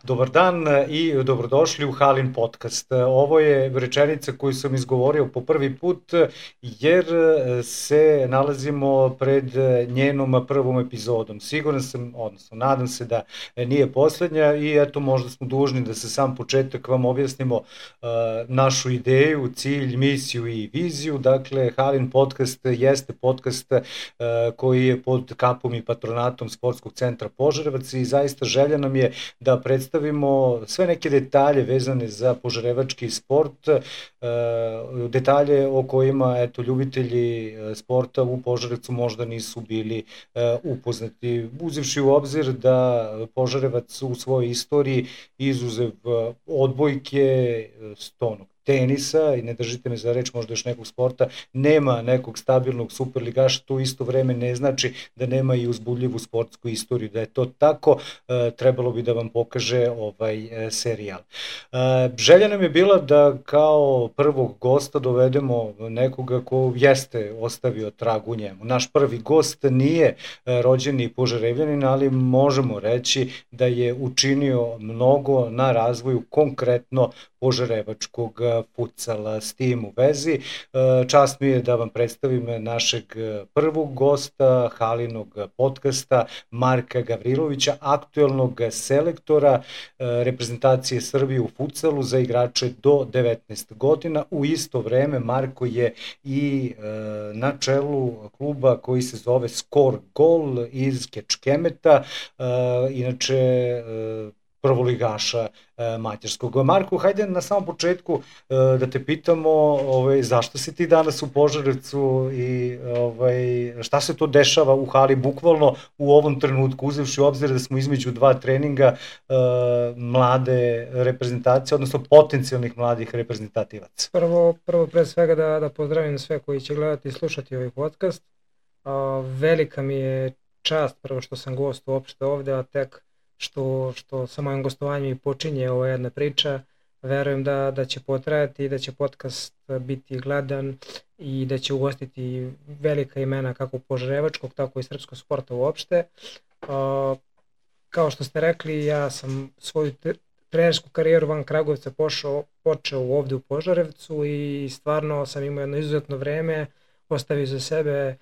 Dobar dan i dobrodošli u Halin podcast. Ovo je rečenica koju sam izgovorio po prvi put jer se nalazimo pred njenom prvom epizodom. Siguran sam, odnosno nadam se da nije poslednja i eto možda smo dužni da se sam početak vam objasnimo našu ideju, cilj, misiju i viziju. Dakle, Halin podcast jeste podcast koji je pod kapom i patronatom Sportskog centra Požarevac i zaista želja nam je da predstavimo sve neke detalje vezane za požarevački sport, detalje o kojima eto, ljubitelji sporta u Požarevcu možda nisu bili upoznati. Uzevši u obzir da Požarevac u svojoj istoriji izuzev odbojke, stonog tenisa, i ne držite me za reč, možda još nekog sporta, nema nekog stabilnog superligaša, to isto vreme ne znači da nema i uzbudljivu sportsku istoriju. Da je to tako, trebalo bi da vam pokaže ovaj serijal. Želja nam je bila da kao prvog gosta dovedemo nekoga ko jeste ostavio trag u njemu. Naš prvi gost nije rođeni Požarevljanin, ali možemo reći da je učinio mnogo na razvoju konkretno požarevačkog futsala. S tim u vezi, čast mi je da vam predstavim našeg prvog gosta Halinog podcasta, Marka Gavrilovića, aktuelnog selektora reprezentacije Srbije u futsalu za igrače do 19 godina. U isto vreme Marko je i na čelu kluba koji se zove Skor Gol iz Kečkemeta, inače prvoligaša mađarskog. Marko, hajde na samom početku da te pitamo zašto si ti danas u Požarevcu i šta se to dešava u hali bukvalno u ovom trenutku, uzevši u obzir da smo između dva treninga mlade reprezentacije, odnosno potencijalnih mladih reprezentativaca. Prvo pre svega da pozdravim sve koji će gledati i slušati ovaj podcast. Velika mi je čast prvo što sam gost uopšte ovde, a tek što sa mojim gostovanjem i počinje ova jedna priča. Verujem da će potrajati i da će podcast biti gledan i da će ugostiti velika imena kako požarevačkog, tako i srpskog sporta uopšte. Kao što ste rekli, ja sam svoju trenersku karijeru van Kragujevca počeo ovde u Požarevcu i stvarno sam imao jedno izuzetno vreme, ostavio za sebe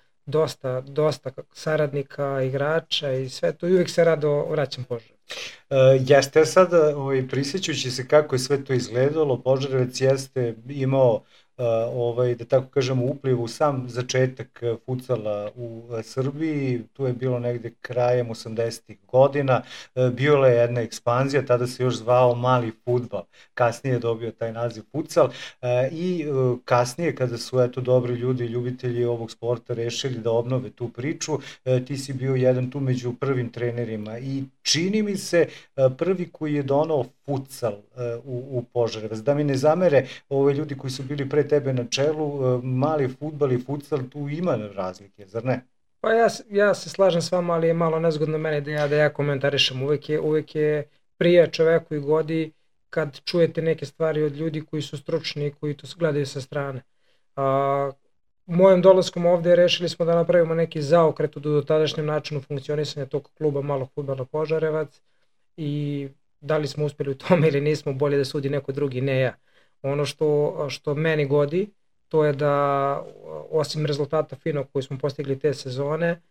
dosta saradnika, igrača i sve to, i uvijek se rado vraćam Požarevac. Jeste sad, prisjećujući se kako je sve to izgledalo, Požarevac jeste imao da tako kažemo upliv u sam začetak futsala u Srbiji. Tu je bilo negde krajem 80-ih godina, bila je jedna ekspanzija, tada se još zvao mali fudbal, kasnije je dobio taj naziv futsal i kasnije kada su eto dobri ljudi, ljubitelji ovog sporta rešili da obnove tu priču, ti si bio jedan tu među prvim trenerima i čini mi se prvi koji je donao futsal u Požarevac. Da mi ne zamere ljudi koji su bili pre tebe na čelu, mali fudbal i futsal, tu ima razlike, zar ne? Pa ja se slažem s vama, ali je malo nezgodno meni da ja komentarišem. Uvek je prije čoveku i godi kad čujete neke stvari od ljudi koji su stručni i koji to gledaju sa strane. Mojim dolaskom ovde rešili smo da napravimo neki zaokret u dotadašnjem načinu funkcionisanja tog kluba malog fudbala Požarevac i da li smo uspeli u tome ili nismo, bolje da sudi neko drugi, ne ja. Ono što meni godi, to je da osim rezultata finog koji smo postigli te sezone,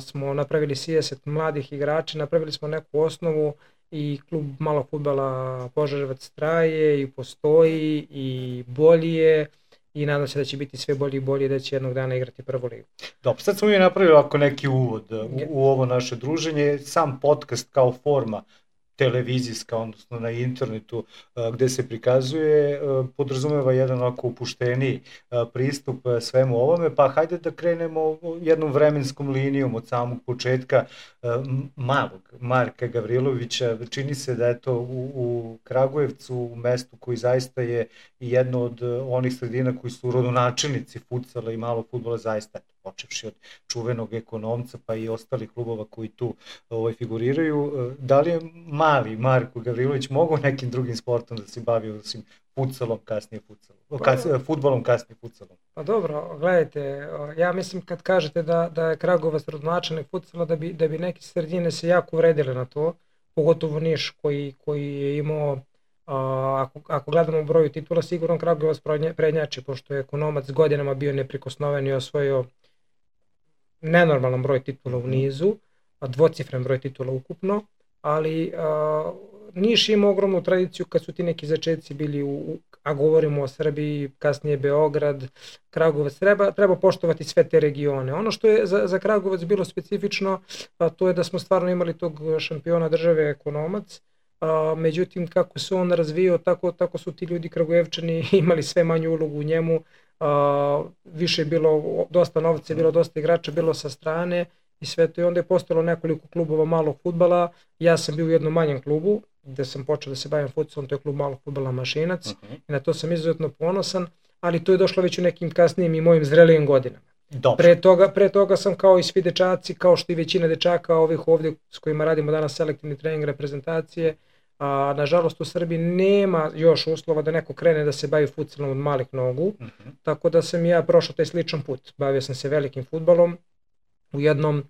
smo napravili 30 mladih igrača, napravili smo neku osnovu i klub malog fudbala Požarevac traje i postoji i bolji je i nadam se da će biti sve bolji i bolji, da će jednog dana igrati prvu ligu. Dobro, sad smo mi napravili ovako neki uvod u ovo naše druženje. Sam podcast kao forma televizijska, odnosno na internetu gde se prikazuje, podrazumeva jedan ovako opušteniji pristup svemu ovome, pa hajde da krenemo jednom vremenskom linijom od samog početka malog Marka Gavrilovića. Čini se da je to u Kragujevcu, u mestu koji zaista je jedno od onih sredina koji su rodonačelnici futsala i malog fudbala, zaista počevši od čuvenog Ekonomca pa i ostalih klubova koji tu figuriraju. Da li je mali Marko Gavrilović mogao nekim drugim sportom da se bavi, osim futsalom, kasnije fudbalom, kasnije futsalom? Pa dobro, gledajte, ja mislim kad kažete da je Kragujevac rodonačelnik futsala, da bi neke sredine se jako uvredile na to. pogotovo Niš koji je imao, ako gledamo broju titula, sigurno Kragujevac prednjači, pošto je Ekonomac godinama bio neprikosnoven i osvojio nenormalan broj titula u nizu, dvocifren broj titula ukupno, ali Niš ima ogromnu tradiciju kad su ti neki začetci bili, a govorimo o Srbiji, kasnije Beograd, Kragujevac, treba poštovati sve te regione. Ono što je za Kragujevac bilo specifično, to je da smo stvarno imali tog šampiona države Ekonomac, međutim kako se on razvijao, tako su ti ljudi Kragujevčani imali sve manju ulogu u njemu, više je bilo dosta novca, je bilo dosta igrača, bilo sa strane i sve to, i onda je postalo nekoliko klubova malog fudbala. Ja sam bio u jednom manjem klubu gde sam počeo da se bavim futsalom, to je klub malog fudbala Mašinac, i na to sam izuzetno ponosan, ali to je došlo već u nekim kasnijim i mojim zrelijim godinama. Pre toga sam kao i svi dečaci, kao što i većina dečaka ovih ovdje s kojima radimo danas selektivni trening reprezentacije, nažalost u Srbiji nema još uslova da neko krene da se bavi futsalom od malih nogu, tako da sam ja prošao taj sličan put. Bavio sam se velikim fudbalom u jednom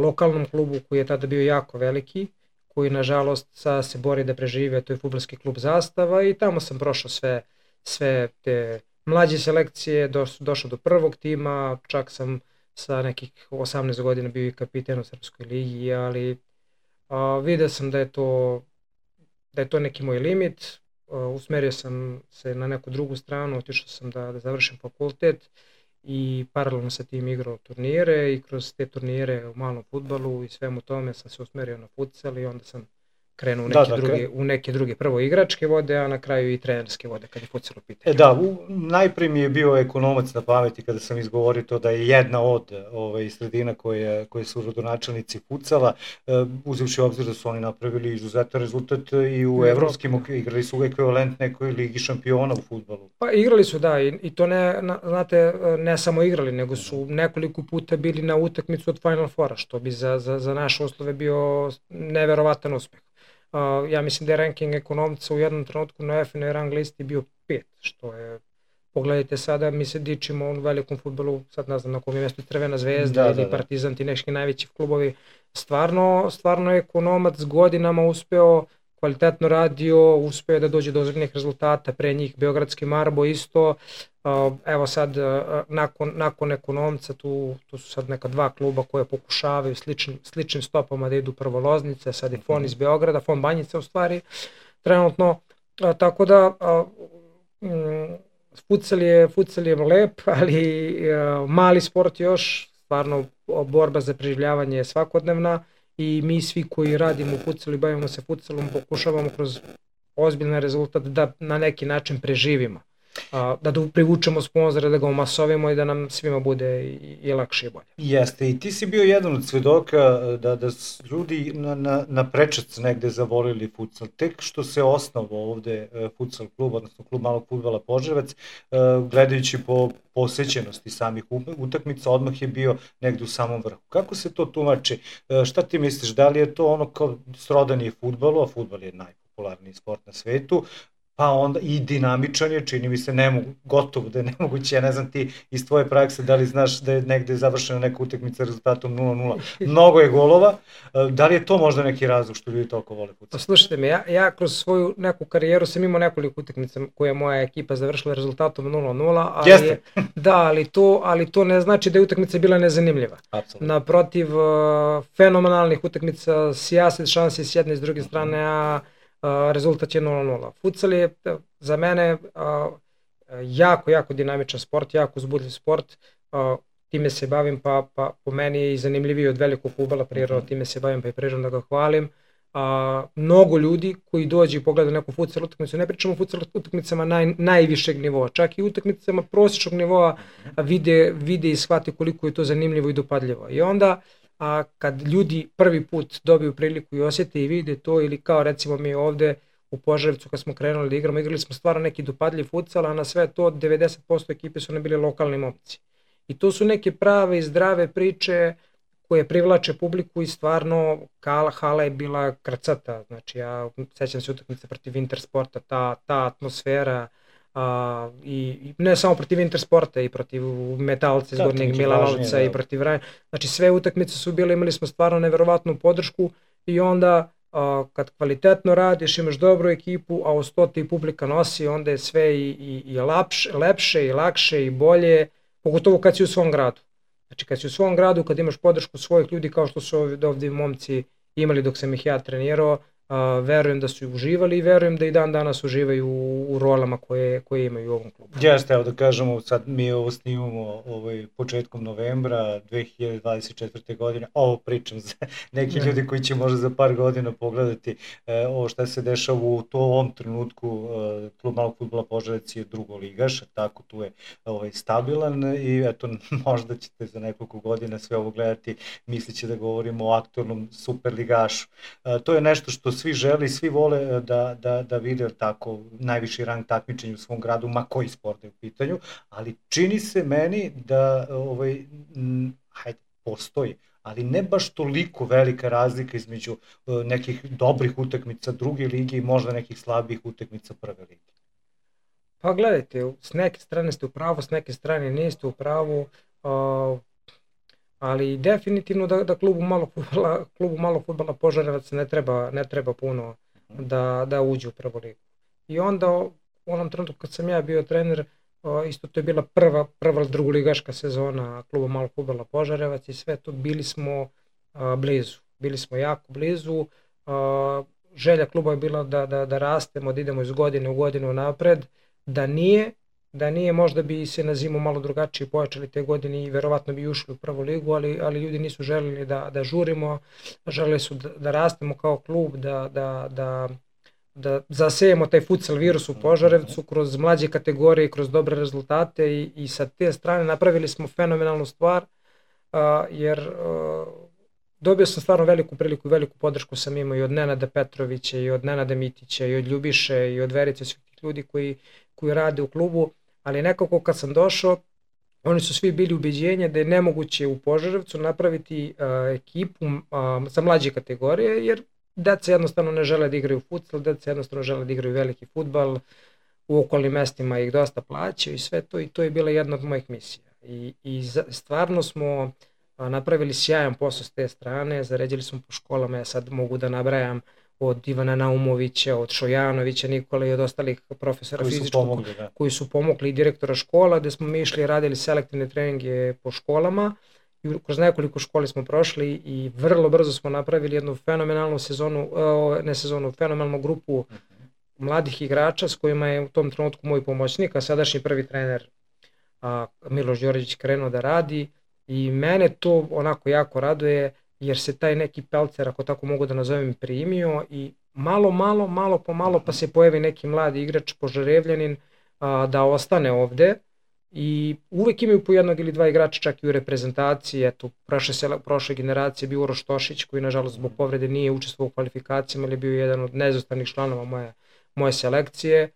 lokalnom klubu koji je tada bio jako veliki, koji nažalost sada se bori da prežive, to je fudbalski klub Zastava, i tamo sam prošao sve te mlađe selekcije, došao do prvog tima, čak sam sa nekih 18 godina bio i kapiten u Srpskoj ligi, ali vidio sam da je to neki moj limit, usmerio sam se na neku drugu stranu, otišao sam da završim fakultet i paralelno sa tim igrao turnire, i kroz te turnire u malom fudbalu i svemu tome sam se usmerio na futsal, i onda sam krenuo u neke druge, prvo igračke vode, a na kraju i trenerske vode kad je futsal u pitanju. Najprije mi je bio Ekonomac na pameti kada sam izgovorio to da je jedna od sredina koje su rodonačelnici futsala, uzevši obzir da su oni napravili izuzetan rezultat i u evropskim, igrali su u ekvivalent nekoj ligi šampiona u fudbalu. Pa igrali su, da, i to ne samo igrali, nego su nekoliko puta bili na utakmicu od Final Fora, što bi za naše uslove bio neverovatan uspeh. Ja mislim da je ranking Ekonomca u jednom trenutku na FNL rang listi bio 5, što je, pogledajte sada, mi se dičimo u velikom fudbalu, sad ne znam na kom je mjestu, Crvena zvezda ili Partizan, ti neki najveći klubovi. Stvarno je Ekonomac godinama uspeo, kvalitetno radio, uspeo da dođe do ozbiljnih rezultata, pre njih Beogradski Marbo isto. Evo sad, nakon Ekonomca, tu su sad neka dva kluba koje pokušavaju sličnim stopama da idu, prvo Loznica, sad je Fon iz Beograda, Fon Banjica u stvari, trenutno, tako da futsal je lep, ali mali sport još, stvarno borba za preživljavanje je svakodnevna, i mi svi koji radimo u futsalu i bavimo se futsalom pokušavamo kroz ozbiljan rezultat da na neki način preživimo, da privučemo sponzore, da ga omasovimo i da nam svima bude i lakše i bolje. Jeste, i ti si bio jedan od svedoka da ljudi na prečac negde zavolili futsal. Tek što se osnovao ovde futsal klub, odnosno klub malog fudbala Požarevac, gledajući po posećenosti samih utakmica, odmah je bio negde u samom vrhu. Kako se to tumači? Šta ti misliš, da li je to ono kao srodanje fudbalu, a fudbal je najpopularniji sport na svetu, pa onda i dinamičan je, čini mi se gotovo da je nemoguće, ja ne znam ti iz tvoje prakse da li znaš da je negde završena neka utakmica rezultatom 0-0, mnogo je golova, da li je to možda neki razlog što ljudi toliko vole futsal? Slušajte me, ja kroz svoju neku karijeru sam imao nekoliko utakmica koje je moja ekipa završila rezultatom 0-0, ali to ne znači da je utakmica bila nezanimljiva. Naprotiv, fenomenalnih utakmica, sijaset šansi s jedne i s druge strane, a rezultat je 0-0. Futsal je za mene jako dinamičan sport, jako uzbudljiv sport, time se bavim, pa po meni je i zanimljiviji od velikog fudbala, prirodno time se bavim pa i prirodno da ga hvalim. Mnogo ljudi koji dođe i pogleda neku futsal utakmicu, ne pričamo o futsal utakmicama najvišeg nivoa, čak i utakmicama prosječnog nivoa vide i shvate koliko je to zanimljivo i dopadljivo. I onda kad ljudi prvi put dobiju priliku i osjete i vide to, ili kao recimo mi ovde u Požarevcu kad smo krenuli da igramo, igrali smo stvarno neki dopadljiv futsal, a na sve to 90% ekipe su nam bili lokalni momci. I to su neke prave i zdrave priče koje privlače publiku i stvarno hala je bila krcata. Znači ja sećam se utakmice protiv Intersporta, ta atmosfera, i ne samo protiv Intersporta, i protiv Metalca iz Gornjeg Milanovca i protiv Rajna. Znači sve utakmice su bile, imali smo stvarno neverovatnu podršku, i onda kad kvalitetno radiš, imaš dobru ekipu, a uz to ti publika nosi, onda je sve i lepše i lakše i bolje, pogotovo kad si u svom gradu. Znači kad si u svom gradu, kad imaš podršku svojih ljudi kao što su ovdje momci imali dok sam ih ja trenirao, verujem da su uživali i verujem da i dan danas uživaju u rolama koje imaju u ovom klubu. Jeste, evo da kažemo, sad mi ovo snimamo početkom novembra 2024. godine, ovo pričam za neki ljudi koji će možda za par godina pogledati ovo šta se dešava u ovom trenutku. Klub malog fudbala Požarevac je drugoligaš, tako tu je stabilan i eto možda ćete za nekoliko godina sve ovo gledati misliće da govorimo o aktualnom superligašu. To je nešto što svi žele i svi vole da vide tako najviši rang takmičenja u svom gradu, ma koji sport je u pitanju, ali čini se meni da postoji, ali ne baš toliko velika razlika između nekih dobrih utakmica druge lige i možda nekih slabih utakmica prve lige. Pa gledajte, s neke strane ste u pravu, s neke strane niste u pravu, ali definitivno da klubu malog fudbala Požarevac ne treba puno da uđe u prvu ligu. I onda u onom trenutku kad sam ja bio trener, isto to je bila prva drugoligaška sezona kluba malog fudbala Požarevac i sve to bili smo blizu. Bili smo jako blizu. Želja kluba je bila da rastemo, da idemo iz godine u godinu napred. Da nije, možda bi se na zimu malo drugačije pojačali te godine i verovatno bi ušli u prvu ligu, ali ljudi nisu želeli da žurimo, želeli su da rastemo kao klub, da zasejemo taj futsal virus u Požarevcu kroz mlađe kategorije, kroz dobre rezultate i sa te strane napravili smo fenomenalnu stvar, jer dobio sam stvarno veliku priliku i veliku podršku sam imao i od Nenada Petrovića i od Nenada Mitića i od Ljubiše i od Verice, svih ljudi koji rade u klubu, ali nekako kad sam došao, oni su svi bili ubeđenja da je nemoguće u Požarevcu napraviti ekipu za mlađe kategorije, jer deca jednostavno ne žele da igraju futsal, deca jednostavno žele da igraju veliki fudbal, u okolnim mestima ih dosta plaćaju i sve to, i to je bila jedna od mojih misija. I stvarno smo napravili sjajan posao s te strane, zaređili smo po školama, ja sad mogu da nabrajam od Ivana Naumovića, od Šojanovića, Nikola i od ostalih profesora fizičkog koji su pomogli i direktora škola, gde smo mi išli i radili selektivne treninge po školama i kroz nekoliko škole smo prošli i vrlo brzo smo napravili jednu fenomenalnu fenomenalnu grupu mladih igrača s kojima je u tom trenutku moj pomoćnik, a sadašnji prvi trener Miloš Đorđević krenuo da radi i mene to onako jako raduje, jer se taj neki pelcer, ako tako mogu da nazovem, primio i malo po malo pa se pojavi neki mladi igrač, Požarevljanin, da ostane ovde i uvek imaju po jednog ili dva igrača čak i u reprezentaciji. Eto, prošle generacije bio Uroš Tošić koji nažalost zbog povrede nije učestvovao u kvalifikacijama, ali je bio jedan od neizostavnih članova moje selekcije.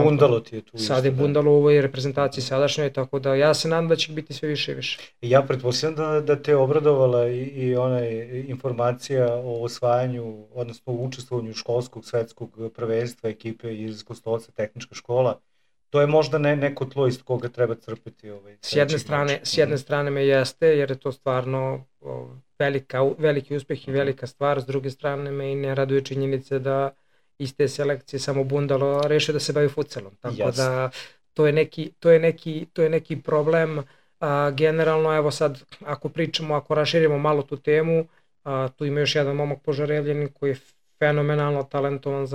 Bundalo ti je tu. Sad je Bundalo u ovoj reprezentaciji sadašnjoj, tako da ja se nadam da će biti sve više i više. Ja pretpostavljam da te obradovala i ona informacija o osvajanju, odnosno o učestvovanju školskog svetskog prvenstva ekipe iz Kostolca, tehnička škola. To je možda neko tlo iz koga treba crpiti. S jedne strane me jeste, jer je to stvarno veliki uspeh i velika stvar, s druge strane me i ne raduje činjenice da iz te selekcije samo Bundalo rešio da se bavi futsalom. Tako da to je neki problem. Generalno, evo sad, ako raširimo malo tu temu, tu ima još jedan momak Požarevljanin koji je fenomenalno talentovan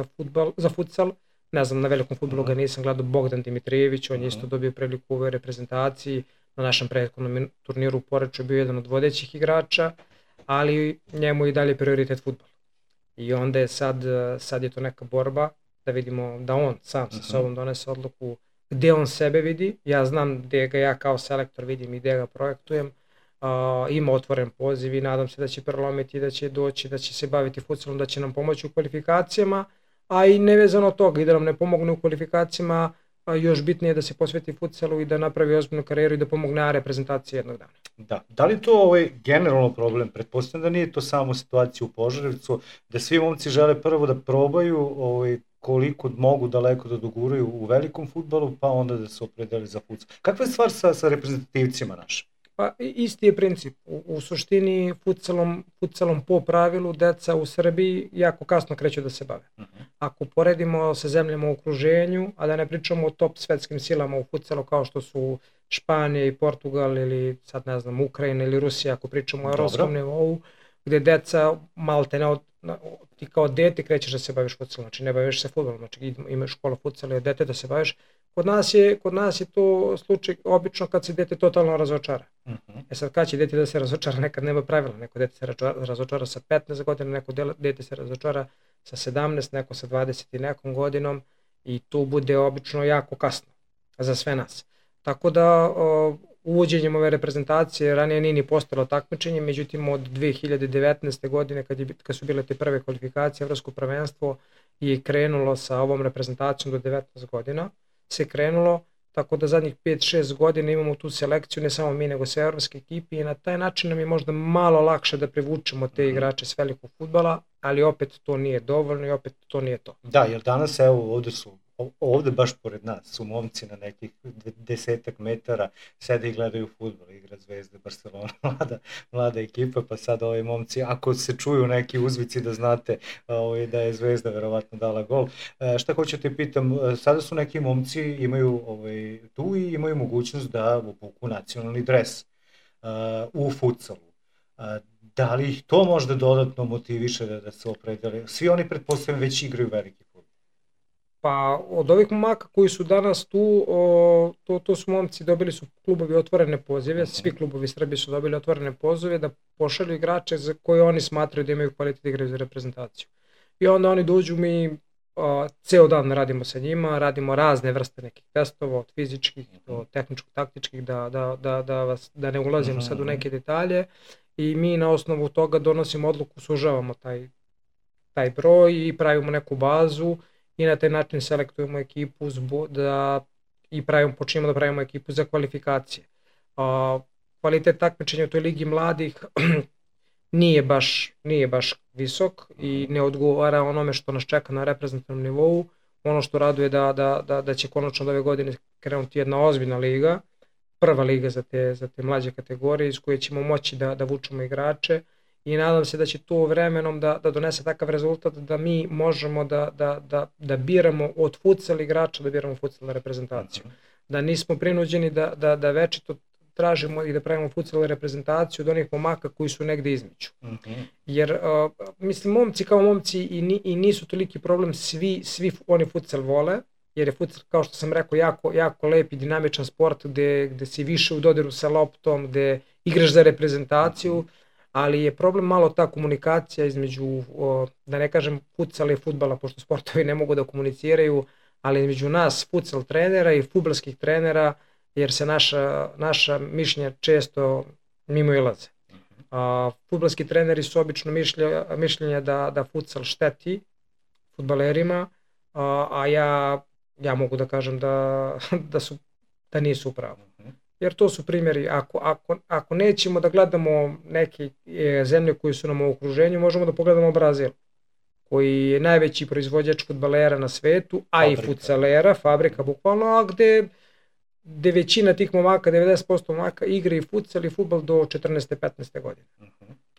za futsal. Ne znam, na velikom fudbalu ga nisam gledao, Bogdan Dimitrijević, on je isto dobio priliku u ovoj reprezentaciji. Na našem prethodnom turniru u Poreču je bio jedan od vodećih igrača, ali njemu i dalje prioritet fudbal. I onda je sad je to neka borba da vidimo da on sam sa sobom donese odluku gde on sebe vidi. Ja znam gde ga ja kao selektor vidim i gde ga projektujem. Ima otvoren poziv i nadam se da će prelomiti, da će doći, da će se baviti futsalom, da će nam pomoći u kvalifikacijama, a i nevezano od toga i da nam ne pomogne u kvalifikacijama, još bitnije je da se posveti futsalu i da napravi ozbiljnu karijeru i da pomogne reprezentaciji jednog dana. Da li to generalno problem? Pretpostavljam da nije to samo situacija u Požarevcu, da svi momci žele prvo da probaju koliko mogu daleko da doguraju u velikom fudbalu, pa onda da se opredeli za futsal. Kakva je stvar sa reprezentativcima našim? Pa isti je princip. U suštini futsalom po pravilu deca u Srbiji jako kasno kreću da se bave. Ako poredimo sa zemljama u okruženju, a da ne pričamo o top svetskim silama u futsalu kao što su Španija i Portugal ili sad ne znam Ukrajina ili Rusija, ako pričamo o evropskom nivou, gde deca maltene ti kao dete krećeš da se baviš futsalom, znači ne baviš se fudbalom, znači imaš škola futsala i dete da se baviš. Kod nas je to slučaj obično kad se dete totalno razočara. Sad kad će dete da se razočara, nekad nema pravila, neko dete se razočara sa 15 godina, neko dete se razočara sa 17, neko sa 20 i nekom godinom i tu bude obično jako kasno za sve nas. Tako da uvođenjem ove reprezentacije ranije nije ni postalo takmičenje, međutim od 2019. godine kad su bile te prve kvalifikacije, evropsko prvenstvo je krenulo sa ovom reprezentacijom do 19 godina, se krenulo, tako da zadnjih 5-6 godina imamo tu selekciju, ne samo mi nego sve evropske ekipe i na taj način nam je možda malo lakše da privučemo te igrače s velikog fudbala, ali opet to nije dovoljno i opet to nije to. Da, jer danas evo ovde baš pored nas su momci na nekih 10 metara sede i gledaju fudbal, igra Zvezda, Barcelona, mlada ekipa, pa sad ovi momci, ako se čuju neki uzvici da znate da je Zvezda verovatno dala gol. Šta hoću te pitam, sada su neki momci imaju tu i imaju mogućnost da obuku nacionalni dres u futsalu. Da li ih to možda dodatno motiviše da se opredele? Svi oni pretpostavljam već igraju veliki fudbal. Pa od ovih momaka koji su danas tu, to su momci, dobili su klubovi otvorene pozive, svi klubovi Srbije su dobili otvorene pozive da pošalju igrače za koje oni smatraju da imaju kvalitet da igraju za reprezentaciju. I onda oni dođu, mi ceo dan radimo sa njima, radimo razne vrste nekih testova, od fizičkih do tehničko-taktičkih, da ne ulazimo sad u neke detalje i mi na osnovu toga donosimo odluku, sužavamo taj broj i pravimo neku bazu i na taj način selektujemo ekipu i počinjemo da pravimo ekipu za kvalifikacije. Kvalitet takmičenja u toj ligi mladih nije baš visok i ne odgovara onome što nas čeka na reprezentativnom nivou. Ono što raduje da će konačno ove godine krenuti jedna ozbiljna liga, prva liga za te mlađe kategorije iz koje ćemo moći da vučemo igrače i nadam se da će to vremenom da donese takav rezultat da mi možemo da biramo od futsal igrača, da biramo futsal reprezentaciju. Da nismo prinuđeni da večito tražimo i da pravimo futsal reprezentaciju od onih momaka koji su negde između. Jer, mislim, momci kao momci i nisu toliki problem, svi oni futsal vole, jer je futsal, kao što sam rekao, jako lep i dinamičan sport gde si više u dodiru sa loptom, gde igraš za reprezentaciju, ali je problem malo ta komunikacija između, da ne kažem futsala i fudbala, pošto sportovi ne mogu da komuniciraju, ali između nas futsal trenera i fudbalskih trenera, jer se naša mišljenja često mimoilaze. Fudbalski treneri su obično mišljenja da futsal šteti fudbalerima, a ja mogu da kažem da nisu upravo. Jer to su primjeri, ako nećemo da gledamo neke zemlje koje su nam u okruženju, možemo da pogledamo Brazil, koji je najveći proizvođač fudbalera na svetu, a i futsalera, fabrika bukvalno, a gde većina tih momaka, 90% momaka igra i futsal i fudbal do 14. 15. godine.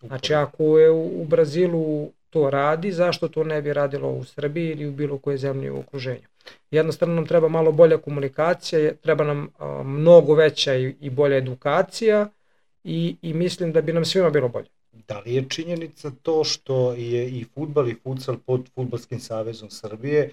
Znači ako je u Brazilu to radi, zašto to ne bi radilo u Srbiji ili u bilo koje zemlje u okruženju? Jednostavno nam treba malo bolja komunikacija, treba nam mnogo veća i bolja edukacija i mislim da bi nam svima bilo bolje. Da li je činjenica to što je i fudbal i futsal pod Fudbalskim savezom Srbije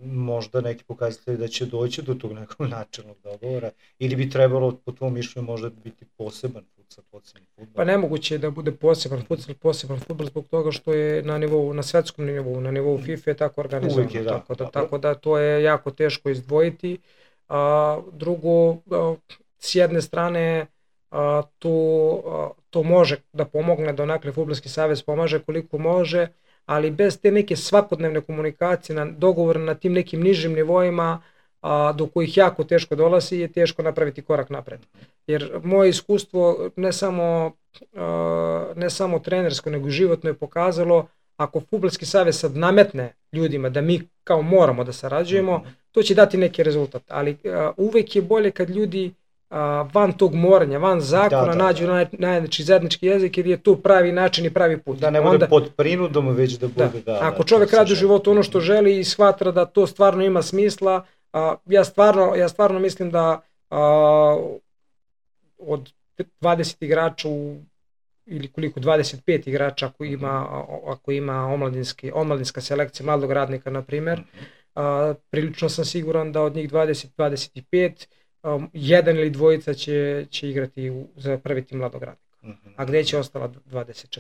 možda neki pokazatelji da će doći do tog nekog načelnog dogovora ili bi trebalo po tvom mišljenju možda biti poseban futsal, poseban fudbal? Pa nemoguće je da bude poseban futsal, poseban fudbal zbog toga što je na svetskom nivou, na nivou FIFA je tako organizovano. Tako da to je jako teško izdvojiti. Drugo, s jedne strane to može da pomogne, donakle Fudbalski savez pomaže koliko može, ali bez te neke svakodnevne komunikacije, dogovora na tim nekim nižim nivoima do kojih jako teško dolazi je teško napraviti korak napred. Jer moje iskustvo ne samo trenersko nego i životno je pokazalo ako Fudbalski savez sad nametne ljudima da mi kao moramo da sarađujemo, to će dati neki rezultat, ali uvek je bolje kad ljudi van tog moranja, van zakona, nađu najveći zajednički jezik jer je to pravi način i pravi put. Da ne bude pod prinudom, već da bude... Ako čovjek radi u životu ono što želi i shvatra da to stvarno ima smisla, ja stvarno mislim da od 20 igrača ili koliko 25 igrača ako ima omladinska selekcija mladog radnika na primjer, prilično sam siguran da od njih 20-25 jedan ili dvojica će igrati za prvi tim mladog radnika. A gdje će ostala 24?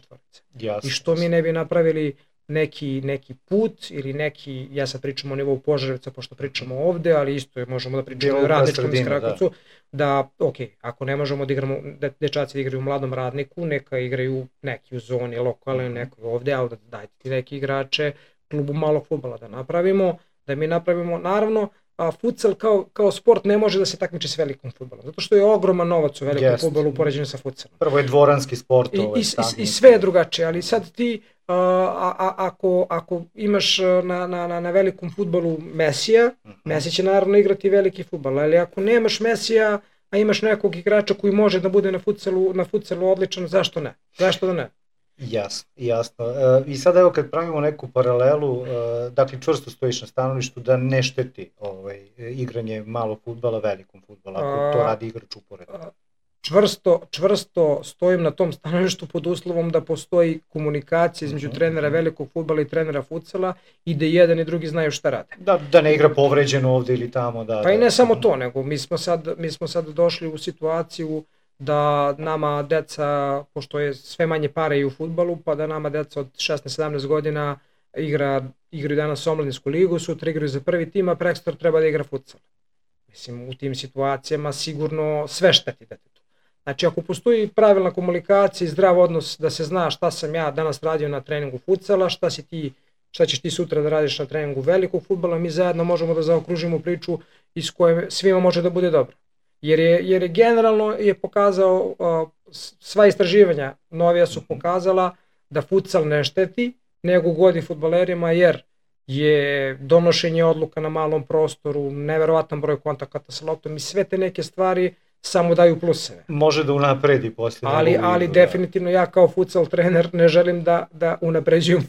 I što mi ne bi napravili neki put ili neki, ja sad pričam o nivou Požarevca pošto pričamo ovde, ali isto možemo da pričamo o radničkom iz Krakovcu, da ako ne možemo da igramo, dečaci da igraju u mladom radniku, neka igraju neki u zoni lokalne, neko ovde, ali dajte ti neki igrače klubu malog fudbala da mi napravimo, naravno, futsal kao sport ne može da se takmiči s velikom fudbalom, zato što je ogroman novac u velikom fudbalu u poređenju sa futsalom. Prvo je dvoranski sport. I sve je drugačije, ali sad ti ako imaš na velikom fudbalu Mesija, Messi će naravno igrati veliki fudbal, ali ako nemaš Mesija, a imaš nekog igrača koji može da bude na futsalu odličan, zašto ne? Zašto da ne? Jasno. I sad evo kad pravimo neku paralelu, dakle čvrsto stojiš na stanovištu da ne šteti igranje malog fudbala velikom fudbala, ako to radi igrač uporedno. Čvrsto stojim na tom stanovištu pod uslovom da postoji komunikacija između trenera velikog fudbala i trenera futsala i da jedan i drugi znaju šta rade. Da ne igra povređeno ovde ili tamo. Pa i ne samo to, nego mi smo sad došli u situaciju da nama deca, pošto je sve manje pare i u fudbalu, pa da nama deca od 16-17 godina igraju danas omladinsku ligu, sutra igraju za prvi tim, a prekstor treba da igra futsal. Mislim, u tim situacijama sigurno sve šteti detetu. Znači, ako postoji pravilna komunikacija i zdrav odnos da se zna šta sam ja danas radio na treningu futsala, šta ćeš ti sutra da radiš na treningu velikog fudbala, mi zajedno možemo da zaokružimo priču iz koje svima može da bude dobro. Jer je generalno je pokazao, sva istraživanja novija su pokazala da futsal ne šteti, nego godi fudbalerima jer je donošenje odluka na malom prostoru, neverovatan broj kontakata sa loptom i sve te neke stvari samo daju pluseve. Može da unapredi poslije. Ali definitivno ja kao futsal trener ne želim da unapređujem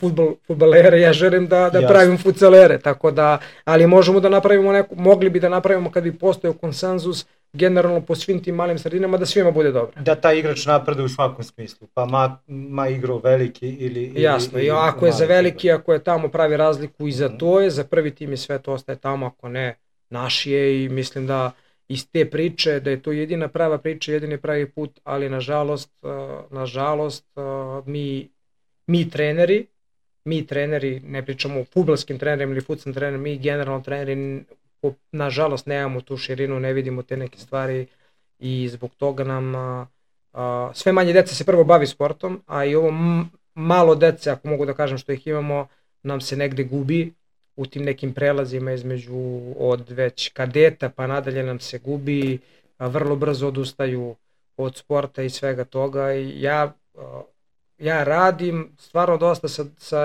fudbalere, ja želim da pravim futsalere, tako da, ali možemo da napravimo mogli bi da napravimo kad bi postojao konsenzus generalno po svim tim malim sredinama da svima bude dobro. Da taj igrač napreduje u svakom smislu, pa ma igrao veliki ili... Jasno, i ako je za veliki, ako je tamo pravi razliku i za to je, za prvi tim i sve to ostaje tamo, ako ne, naš je i mislim da iz te priče, da je to jedina prava priča, jedini pravi put, ali nažalost mi treneri, ne pričamo o fudbalskim trenerima ili fudbalskim trenerima, mi generalno treneri, nažalost nemamo tu širinu, ne vidimo te neke stvari i zbog toga nam sve manje dece se prvo bavi sportom, a i ovo malo dece, ako mogu da kažem što ih imamo, nam se negde gubi u tim nekim prelazima između od već kadeta pa nadalje nam se gubi, vrlo brzo odustaju od sporta i svega toga i ja radim stvarno dosta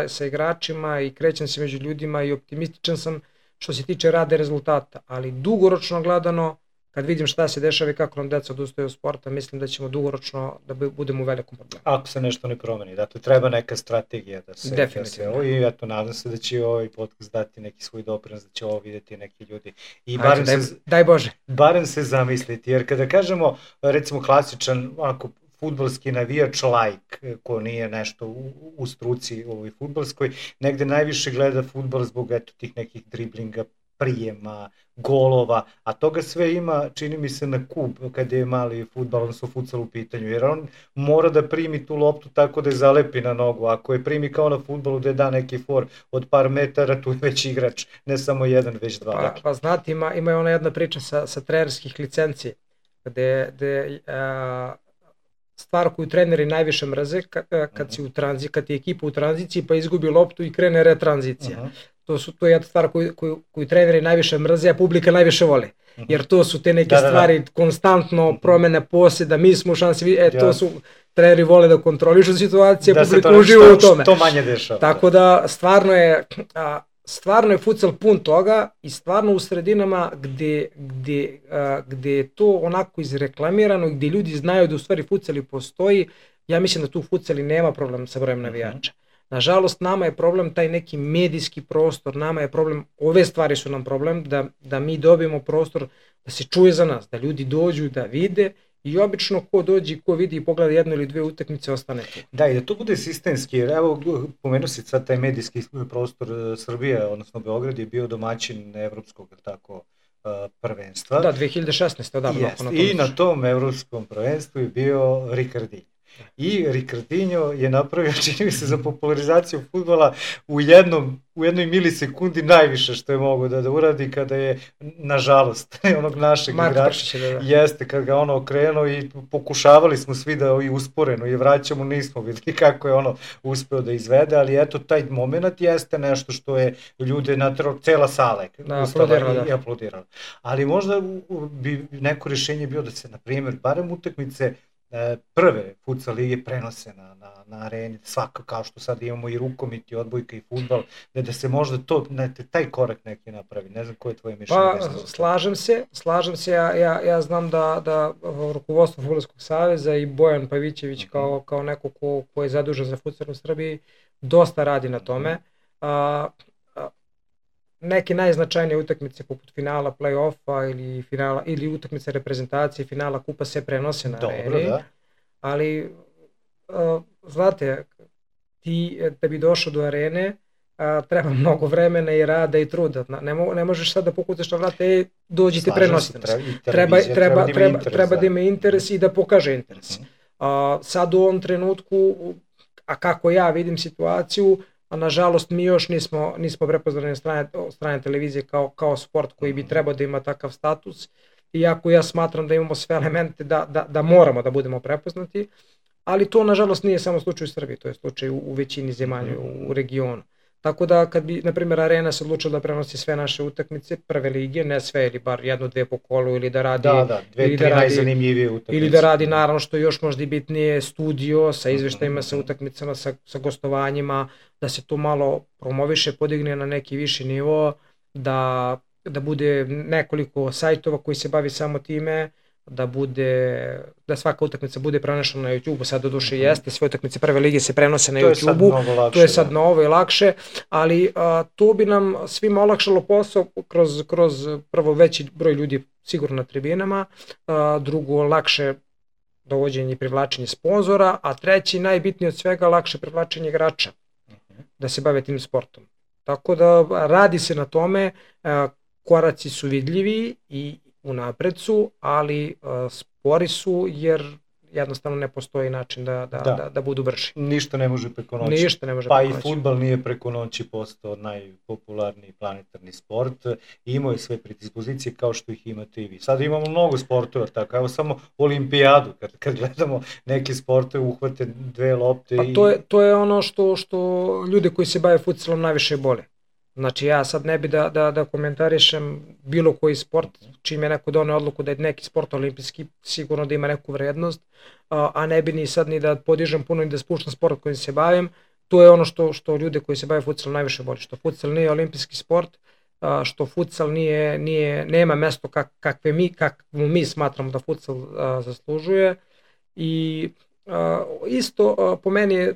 sa igračima i krećem se među ljudima i optimističan sam što se tiče rada i rezultata, ali dugoročno gledano, kad vidim šta se dešava i kako nam deca odustaju od sporta, mislim da ćemo dugoročno da budemo u velikom problemu. Ako se nešto ne promeni, dakle treba neka strategija da se... Definitivno. I eto, nadam se da će ovaj podcast dati neki svoj doprinos, da će ovo vidjeti neki ljudi. I daj Bože. Barem se zamisliti, jer kada kažemo, recimo klasičan, onako, fudbalski navijač like, ko nije nešto u struci ovoj fudbalskoj, negde najviše gleda fudbal zbog tih nekih driblinga, prijema, golova, a toga sve ima, čini mi se, na kub kada je mali fudbal, odnosno futsal u pitanju, jer on mora da primi tu loptu tako da je zalepi na nogu, ako je primi kao na fudbalu da je da neki for od par metara, tu je već igrač, ne samo jedan, već dva. Pa znate, ima ona jedna priča sa trenerskih licenci, gde stvar koju treneri najviše mrze kad je ekipa u tranziciji pa izgubi loptu i krene retranzicija. To je jedna stvar koju treneri najviše mrze, a publika najviše voli. Jer to su te neke stvari, konstantno promene posjeda, mi smo u šansi, to su treneri vole da kontrolišu situacije, publika uživa u tome. Što manje dešava. Tako da stvarno je, stvarno je futsal pun toga i stvarno u sredinama gde je to onako izreklamirano i gde ljudi znaju da u stvari futsali postoji, ja mislim da tu futsali nema problem sa brojem navijača. Nažalost, nama je problem taj neki medijski prostor, nama je problem, ove stvari su nam problem, da mi dobijemo prostor da se čuje za nas, da ljudi dođu da vide i obično ko dođe, ko vidi i pogleda jednu ili dve utakmice, ostane tu. Da, i da to bude sistemski, jer evo, pomenuo si sad taj medijski prostor Srbije, odnosno Beograd je bio domaćin evropskog, tako, prvenstva. Da, 2016. odavno. I na tom evropskom prvenstvu je bio Ricardinho. I Ricardinho je napravio, čini mi se, za popularizaciju fudbala u jednoj milisekundi najviše što je mogo da uradi kada je, nažalost, onog našeg igrača, jeste, kad ga ono okrenuo i pokušavali smo svi da i usporeno i vraćamo, nismo videli kako je ono uspeo da izvede, ali eto, taj moment jeste nešto što je ljude natrao, cela sala i aplodirala. Ali možda bi neko rješenje bio da se, na primjer, barem utakmice prve futsal lige prenose na areni, svako, kao što sad imamo i rukomet i odbojka i fudbal, da se možda to, taj korak neki napravi. Ne znam koje je tvoje mišljenje. Pa, slažem se, ja znam da rukovodstvo Fudbalskog saveza i Bojan Pavićević kao neko ko je zadužen za futsal u Srbiji dosta radi na tome. Neke najznačajnije utakmice poput finala play-offa ili utakmice reprezentacije, finala kupa se prenose na areni. Da. Ali, znate, ti da bi došao do arene treba mnogo vremena i rada i truda. Ne možeš sad da pokucaš na vrate, dođite prenosite nas. Treba da ima interes i da pokaže interes. Sad u ovom trenutku, a kako ja vidim situaciju, a nažalost mi još nismo prepoznali od strane televizije kao sport koji bi trebao da ima takav status, iako ja smatram da imamo sve elemente da moramo da budemo prepoznati, ali to nažalost nije samo slučaj u Srbiji, to je slučaj u većini zemalja u regionu. Tako da kad bi, na primjer, Arena se odlučila da prenosi sve naše utakmice, prve lige, ne sve ili bar jedno, dve po kolu ili da radi... Dve, tri najzanimljivije utakmice. Ili da radi, naravno, što je još možda i bitnije, studio sa izveštajima, sa utakmicama, sa gostovanjima, da se to malo promoviše, podigne na neki viši nivo, da bude nekoliko sajtova koji se bavi samo time, da svaka utakmica bude prenešena na YouTube-u, sad doduše jeste, sve utakmice prve lige se prenose na YouTube-u, to je sad novo i lakše, ali to bi nam svima olakšalo posao kroz prvo veći broj ljudi sigurno na tribinama, drugo lakše dovođenje i privlačenje sponzora, a treći najbitnije od svega lakše privlačenje igrača da se bave tim sportom. Tako da radi se na tome, koraci su vidljivi i unapred su, ali spori su jer jednostavno ne postoji način da budu brži. Ništa ne može preko noći. Pa i fudbal nije preko noći postao najpopularniji planetarni sport. Imao je sve predispozicije kao što ih imate i vi. Sad imamo mnogo sportova, tako evo samo olimpijadu. Kad gledamo neke sportove, uhvate dve lopte. To je ono što ljude koji se bave futsalom najviše bole. Znači ja sad ne bi da komentarišem bilo koji sport, čim je neko doneo odluku da je neki sport olimpijski, sigurno da ima neku vrednost, a ne bi ni sad ni da podižem puno ni da spuštam sport kojim se bavim. To je ono što ljude koji se bave futsalom najviše boli, što futsal nije olimpijski sport, što futsal nema mesto kakvo mi smatramo da futsal zaslužuje i isto po meni,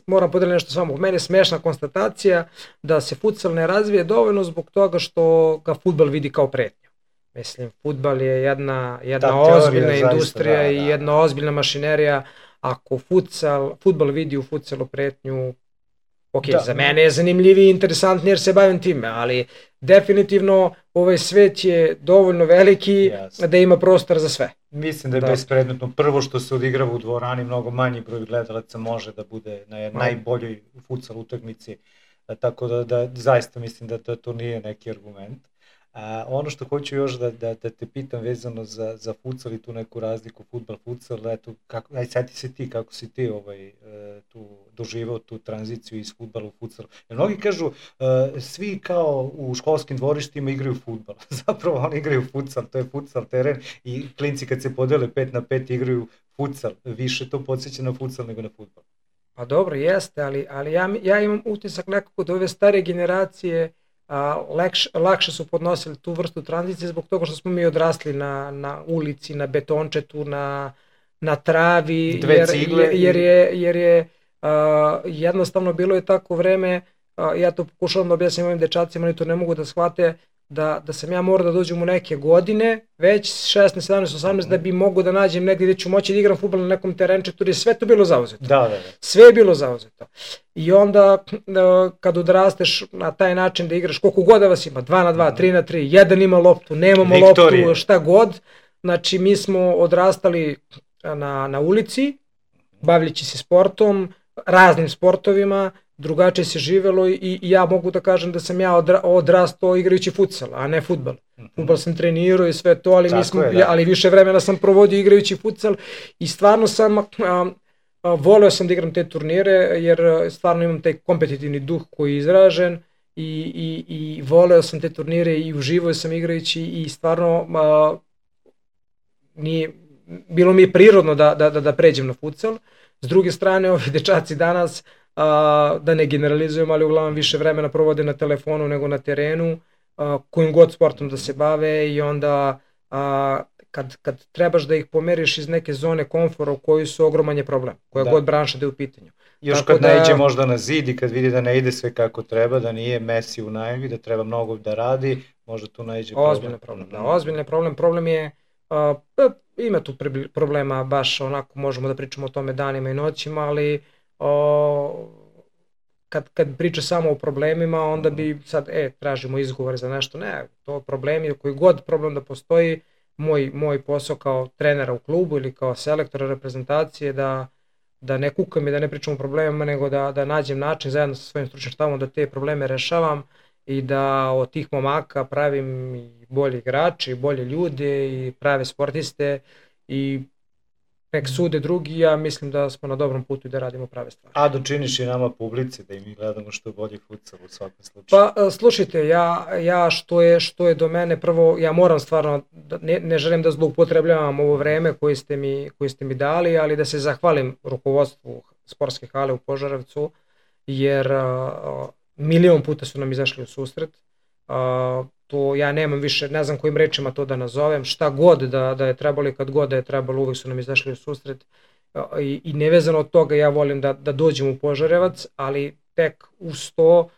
moram podeliti nešto s vama, po meni je smešna konstatacija da se futsal ne razvije dovoljno zbog toga što ga fudbal vidi kao pretnju. Mislim, fudbal je jedna ozbiljna industrija i jedna ozbiljna mašinerija. Ako fudbal vidi u futsalu pretnju, ok, za mene je zanimljiviji i interesantniji jer se bavim time, ali definitivno ovaj svet je dovoljno veliki da ima prostor za sve. Mislim da je bespredmetno. Prvo što se odigrava u dvorani, mnogo manji broj gledalaca može da bude na najboljoj futsal utakmici, tako da zaista mislim da to nije neki argument. Ono što hoću još da te pitam vezano za futsal i tu neku razliku fudbal-futsal, eto, aj sjeti se ti kako si ti tu doživao tu tranziciju iz fudbala u futsal. Jer mnogi kažu, svi kao u školskim dvorištima igraju fudbal, zapravo oni igraju futsal, to je futsal teren i klinci kad se podele 5 na 5 igraju futsal, više to podsjeća na futsal nego na fudbal. Pa dobro, jeste, ali ja imam utisak nekako da ove stare generacije lakše su podnosili tu vrstu tranzicije zbog toga što smo mi odrasli na ulici, na betončetu, na travi, jer je jednostavno bilo je tako vreme, ja to pokušavam da objasnim ovim dečacima, oni to ne mogu da shvate, da sam ja morao da dođem u neke godine, već 16, 17, 18, da bi mogu da nađem negdje gdje ću moći da igram fudbal na nekom terenčetu, jer je sve to bilo zauzeto. Da. Sve je bilo zauzeto. I onda kad odrasteš na taj način da igraš, koliko god da vas ima, 2 na 2, 3 na 3, jedan ima loptu, nemamo loptu, šta god. Znači mi smo odrastali na ulici, bavljeći se sportom, raznim sportovima, drugačije se živelo i ja mogu da kažem da sam ja odrastao igrajući futsal, a ne fudbal. Fudbal sam trenirao i sve to, ali više vremena sam provodio igrajući futsal i stvarno sam voleo sam da igram te turnire jer stvarno imam taj kompetitivni duh koji je izražen i voleo sam te turnire i uživao sam igrajući i stvarno bilo mi je prirodno da pređem na futsal. S druge strane, ovi dečaci danas, da ne generalizujem, ali uglavnom više vremena provode na telefonu nego na terenu, kojim god sportom da se bave i onda kad trebaš da ih pomeriš iz neke zone komfora u kojoj su ogroman je problem, koja god branša da je u pitanju. Još tako kad naiđe možda na zid i kad vidi da ne ide sve kako treba, da nije Messi u najavi, da treba mnogo da radi, možda tu naiđe problem. Ozbiljno problem, da, ozbiljno problem je, ima tu problema, baš onako možemo da pričamo o tome danima i noćima, ali kad priča samo o problemima, onda bi sad, tražimo izgovore za nešto, ne, to problemi, koji god problem da postoji, moj posao kao trenera u klubu ili kao selektora reprezentacije da ne kukam i da ne pričam o problemima, nego da nađem način zajedno sa svojim stručnim štabom da te probleme rešavam i da od tih momaka pravim i bolje igrače, i bolje ljude i prave sportiste i nek sude drugi, ja mislim da smo na dobrom putu i da radimo prave stvari. A dočiniš i nama publici da i mi gledamo što bolji futsal u svakom slučaju. Pa slušajte, ja što je do mene, prvo ja moram stvarno, ne želim da zloupotrebljavam ovo vreme koje ste mi dali, ali da se zahvalim rukovodstvu sportske hale u Požarevcu, jer milion puta su nam izašli u susret. To ja nemam više, ne znam kojim rečima to da nazovem, šta god da je trebalo i kad god da je trebalo, uvijek su nam izašli u susret i nevezano od toga ja volim da dođem u Požarevac, ali tek uz to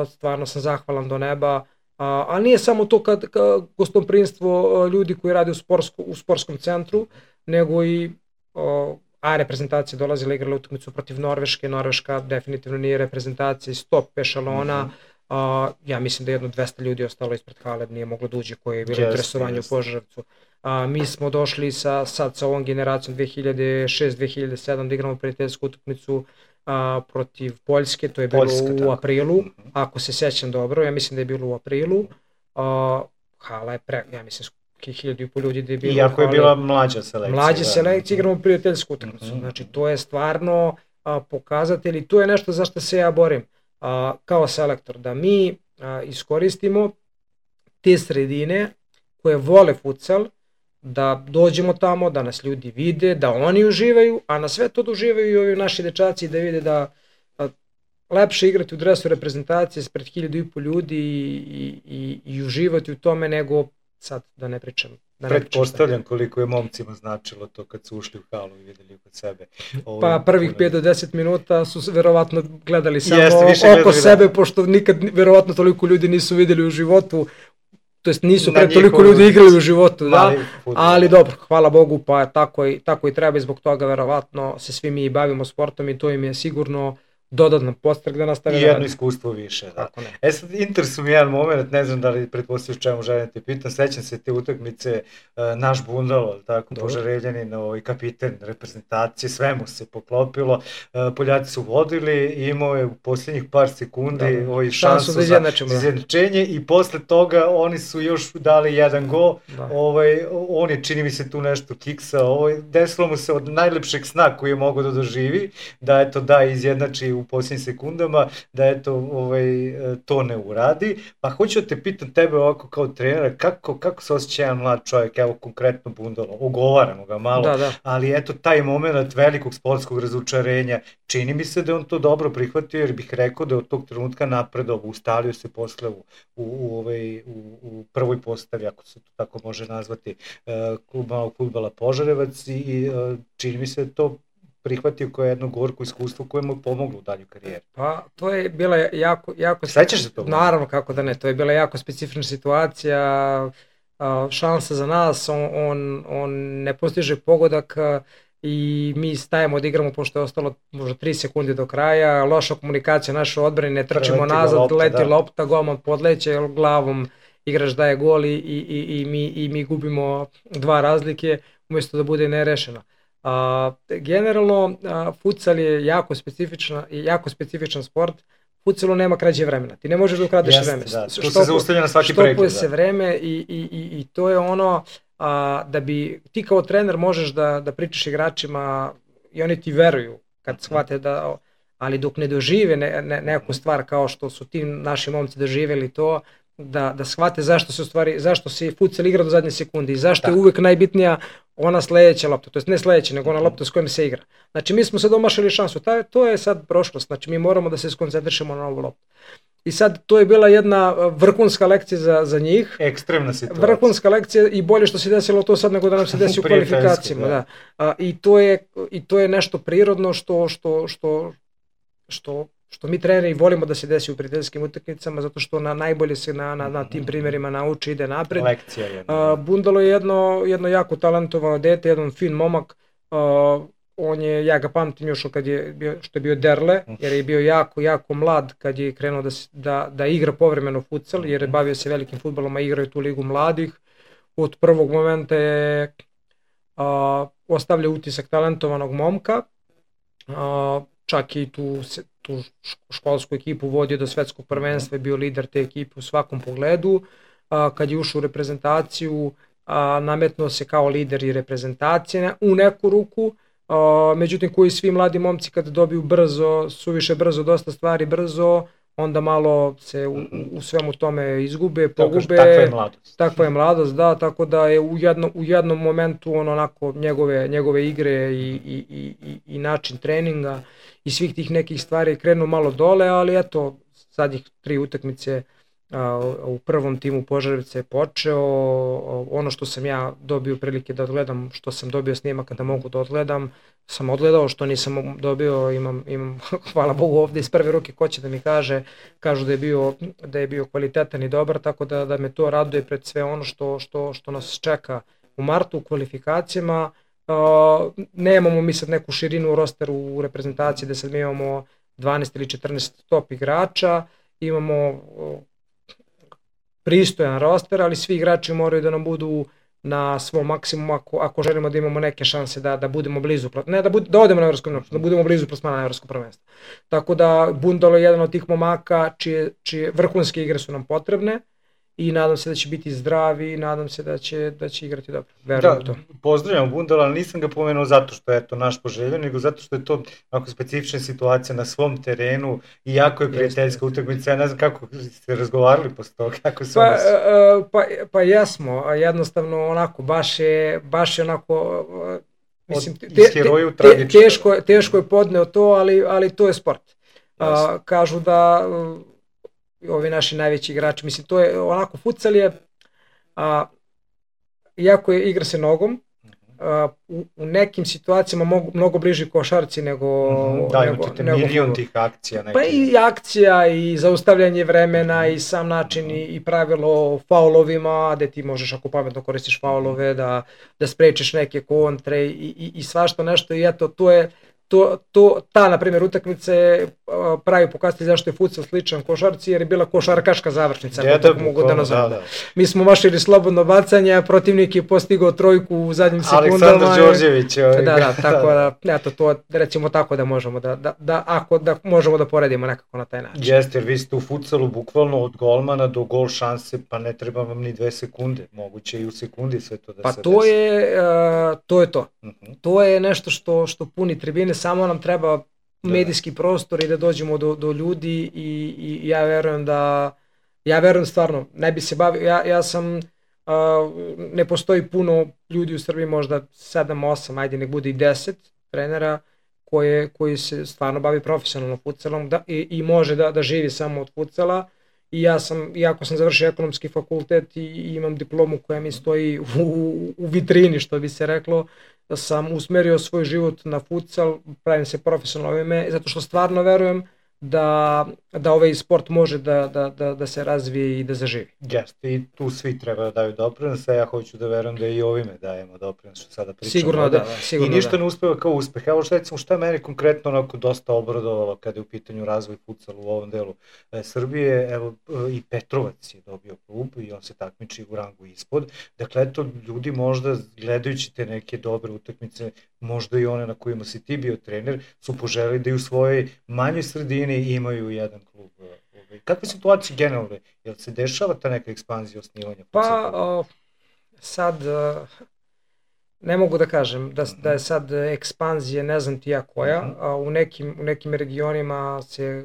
stvarno sam zahvalan do neba, ali nije samo to kad gostoprimstvo ljudi koji rade u sportskom centru, nego i reprezentacije dolazila igrala utakmicu protiv Norveške, Norveška definitivno nije reprezentacija iz top ešalona, ja mislim da jedno 200 ljudi ostalo ispred hale, nije moglo da uđe koje je bilo interesovanje u Požarevcu. Mi smo došli sad sa ovom generacijom 2006-2007 da igramo prijateljsku utakmicu protiv Poljske, to je bilo u aprilu, ako se sjećam dobro, ja mislim da je bilo u aprilu. Hala je ja mislim 1.500 ljudi da je bilo. Iako je bila mlađa selekcija. Mlađa selekcija, igramo prijateljsku utakmicu, znači to je stvarno pokazatelj i to je nešto za što se ja borim kao selektor, da mi iskoristimo te sredine koje vole futsal, da dođemo tamo, da nas ljudi vide, da oni uživaju, a na sve to da uživaju i ovi naši dečaci da vide da lepše igrati u dresu reprezentacije spred 1.500 ljudi i uživati u tome nego sad da ne pričam. Pretpostavljam koliko je momcima značilo to kad su ušli u halu i videli kod sebe. Pa prvih 5 do 10 minuta su verovatno gledali samo oko sebe, pošto nikad verovatno toliko ljudi nisu videli u životu, to jest nisu toliko ljudi igrali u životu, da, ali dobro, hvala Bogu, pa tako i treba i zbog toga verovatno se svi mi bavimo sportom i to im je sigurno dodatno podstrek da nastave. I jedno iskustvo više, da. Sad interesuje mi jedan moment, ne znam da li pretpostavljaš čemu želim te pitam, sećam se te utakmice, naš Bundalo, tako, Požarevljanin, kapiten reprezentacije, sve mu se poklopilo, Poljaci su vodili i imao je u posljednjih par sekundi šansu za izjednačenje i posle toga oni su još dali jedan gol, on je čini mi se tu nešto kiksao, desilo mu se od najlepšeg sna koji je mogao da doživi, da izjednači u posljednjim sekundama, da eto, to ne uradi. Pa hoću da te pitam tebe ovako kao trenera, kako se osjeća jedan mlad čovjek, evo konkretno Bundalo, ogovaramo ga malo, ali eto taj moment velikog sportskog razočarenja, čini mi se da je on to dobro prihvatio, jer bih rekao da je od tog trenutka napredovao, ustalio se posle u prvoj postavi, ako se to tako može nazvati, malog fudbala Požarevac, i čini mi se da to prihvatio kao jedno gorko iskustvo koje mu je pomoglo u dalju karijeri. Pa to je bila jako... Sećaš se toga? Naravno, kako da ne, to je bila jako specifična situacija, šansa za nas, on ne postiže pogodak i mi stajemo da igramo pošto je ostalo možda 3 sekunde do kraja, loša komunikacija naše odbrane, ne trčimo nazad, leti lopta, golman podleće glavom, igrač daje gol i mi gubimo 2 razlike umjesto da bude nerešeno. Generalno, futsal je jako specifičan sport. Futsalu nema krađe vremena. Ti ne možeš da ukradeš vreme. To se zaustavlja na svaki prekid. Štopuje se vreme i to je ono da bi ti kao trener možeš da pričaš igračima i oni ti veruju kad shvate da, ali dok ne dožive neku stvar kao što su ti naši momci doživjeli to, da shvate zašto se futsal igra do zadnje sekunde i zašto je uvek najbitnija ona sledeća lopta, to jest ne sledeća, nego ona lopta s kojom se igra. Znači mi smo sad omašili šansu, to je sad prošlost, znači mi moramo da se skoncentrišemo na ovu loptu. I sad to je bila jedna vrhunska lekcija za njih. Ekstremna situacija. Vrhunska lekcija i bolje što se desilo to sad nego da nam se desi u kvalifikacijama. Da. I to je nešto prirodno što mi treneri volimo da se desi u prijateljskim utakmicama, zato što najbolje se na tim primjerima nauči, ide napred. Lekcija jedna. Bundalo je jedno jako talentovano dete, jedan fin momak. Ja ga pamtim još što je bio Derle, jer je bio jako mlad kad je krenuo da igra povremeno futsal, jer je bavio se velikim fudbalom, a igrao je tu ligu mladih. Od prvog momenta je ostavljao utisak talentovanog momka, čak i tu školsku ekipu vodio do svetskog prvenstva, je bio lider te ekipe u svakom pogledu. Kad je ušao u reprezentaciju, nametnuo se kao lider i reprezentacije u neku ruku, međutim koji svi mladi momci kad dobiju suviše brzo, dosta stvari brzo, onda malo se u svemu tome izgube, pogube. Takva je mladost, da, tako da je u jednom momentu onako njegove igre i način treninga i svih tih nekih stvari krenu malo dole, ali eto, zadnjih 3 utakmice u prvom timu Požarevca je počeo. Ono što sam ja dobio prilike da odgledam, što sam dobio snimaka da mogu da odgledam, sam odgledao, što nisam dobio, imam hvala Bogu ovde iz prve ruke ko će da mi kažu da je bio kvalitetan i dobar, tako da me to raduje pred sve ono što nas čeka u martu u kvalifikacijama. Nemamo mi sad neku širinu u rosteru u reprezentaciji da sad mi imamo 12 ili 14 top igrača, imamo pristojan roster, ali svi igrači moraju da nam budu na svom maksimumu ako želimo da imamo neke šanse da budemo blizu, ne da odemo na evropsko prvenstvo, da budemo blizu plasmana na evropsko prvenstvo. Tako da Bundalo je jedan od tih momaka čije vrhunske igre su nam potrebne i nadam se da će biti zdravi i nadam se da će igrati dobro. Verujem u to. Pozdravljam Bundala, ali nisam ga pomenuo zato što je to naš poželjen, nego zato što je to onako specifična situacija na svom terenu i jako je prijateljska utakmica. Ja ne znam kako ste razgovarali posle toga, kako se Pa jesmo, jednostavno onako, baš je onako, mislim, teško je podneo to, ali to je sport. Kažu da ovi naši najveći igrači, mislim, to je onako, futsal je, iako igra se nogom, u nekim situacijama mnogo bliži košarci nego... Da, imate milion tih akcija. Pa i akcija i zaustavljanje vremena i sam način i pravilo o faulovima, gde ti možeš ako pametno koristiš faulove, da sprečiš neke kontre i svašta nešto i eto, to je... Ta, na primjer, utakmica je pravi pokazatelj zašto je futsal sličan košarci, jer je bila košarkaška završnica, ako tako mogu da nazovem. Mi smo mašili slobodno bacanje, protivnik je postigao trojku u zadnjim sekundama. Aleksandar Đorđević. Da, tako da, eto, to recimo tako da možemo da možemo da poredimo nekako na taj način. Jeste, jer vi ste u futsalu bukvalno od golmana do gol šanse, pa ne treba vam ni 2 sekunde, moguće i u sekundi sve to da se desi. Pa to je to. To je nešto što puni tribine, samo nam treba medijski prostor i da dođemo do ljudi i ja verujem stvarno, ne bi se bavio, ja sam, ne postoji puno ljudi u Srbiji, možda 7, 8, ajde nek bude i 10 trenera koji se stvarno bavi profesionalno futsalom i može da živi samo od futsala. I ja sam, iako sam završio ekonomski fakultet i imam diplomu koja mi stoji u vitrini, što bi se reklo, da sam usmerio svoj život na futsal, pravim se profesionalno ime, zato što stvarno verujem da ovaj sport može da se razvije i da zaživi. Jeste, i tu svi treba da daju doprinos, a ja hoću da verujem da i ovime dajemo doprinos, što sada pričamo. Sigurno da, sigurno i ništa ne uspeva kao uspeh. Evo šta meni konkretno onako dosta obradovalo kada je u pitanju razvoj futsala u ovom delu Srbije, evo i Petrovac je dobio klub i on se takmiči u rangu ispod. Dakle, eto, ljudi možda gledajući te neke dobre utakmice, možda i one na kojima si ti bio trener, su poželeli da i u svojoj manjoj sredini imaju jedan klub. Kakve situacije generalne? Jel se dešava ta neka ekspanzija osnivanja? Pa sad ne mogu da kažem da je sad ekspanzija ne znam ti ja koja, a u nekim regionima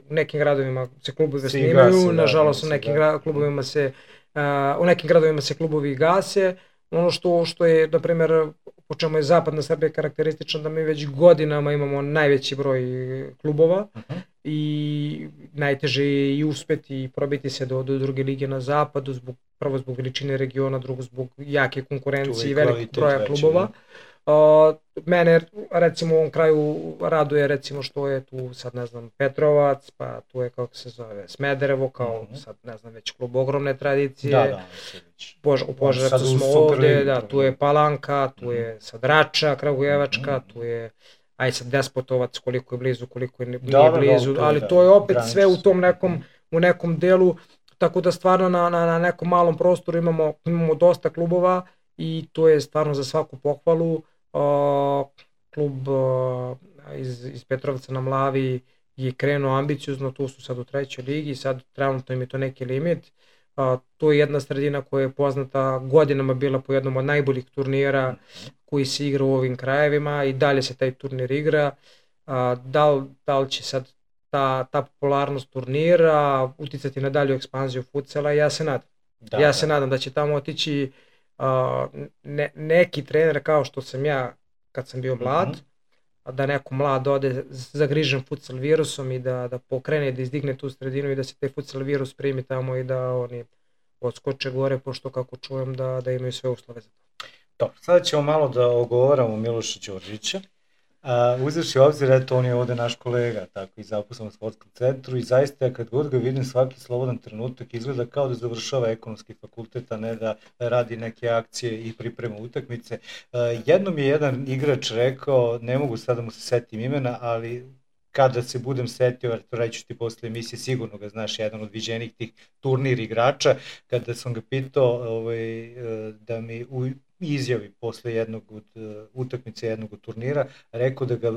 u nekim gradovima se klubovi snimaju, nažalost u nekim klubovima u nekim gradovima se klubovi gase. Ono što je, na primjer, po čemu je zapadna Srbija karakteristična, da mi već godinama imamo najveći broj klubova i najteže je i uspeti i probiti se do druge lige na zapadu, prvo zbog veličine regiona, drugo zbog jake konkurencije i velikog broja klubova. Mene recimo u ovom kraju raduje recimo što je tu sad ne znam Petrovac, pa tu je kako se zove Smederevo kao sad ne znam već klub ogromne tradicije. U Požarevcu smo ovde, tu je Palanka, tu je sad Rača Kragujevačka, tu je aj sad Despotovac koliko je blizu, koliko nije blizu, ali to je opet sve u tom nekom delu, tako da stvarno na nekom malom prostoru imamo dosta klubova i to je stvarno za svaku pohvalu. Klub iz Petrovca na Mlavi je krenuo ambiciozno, tu su sad u 3. ligi, sad trenutno im je to neki limit. To je jedna sredina koja je poznata godinama bila po jednom od najboljih turnira koji se igra u ovim krajevima i dalje se taj turnir igra. Da li će sad ta popularnost turnira uticati na dalju ekspanziju futsala, ja se nadam. Ja se nadam da će tamo otići neki trener kao što sam ja kad sam bio mlad, da neko mlad ode zagrižen futsal virusom i da pokrene, da izdigne tu sredinu i da se taj futsal virus primi tamo i da oni odskoče gore, pošto kako čujem da imaju sve uslove za to. Dobro, sada ćemo malo da ogovaramo Miloša Đorđića. Uzevši u obzir, eto, on je ovde naš kolega, tako i zaposlen u sportskom centru i zaista kad god ga vidim svaki slobodan trenutak izgleda kao da završava ekonomski fakultet, a ne da radi neke akcije i priprema utakmice. Jednom je jedan igrač rekao, ne mogu sad da mu se setim imena, ali kada se budem setio, to reći ti posle emisije, sigurno ga znaš, jedan od viđenih tih turnir igrača, kada sam ga pitao da mi izjavi posle jednog od utakmice jednog od turnira, rekao da ga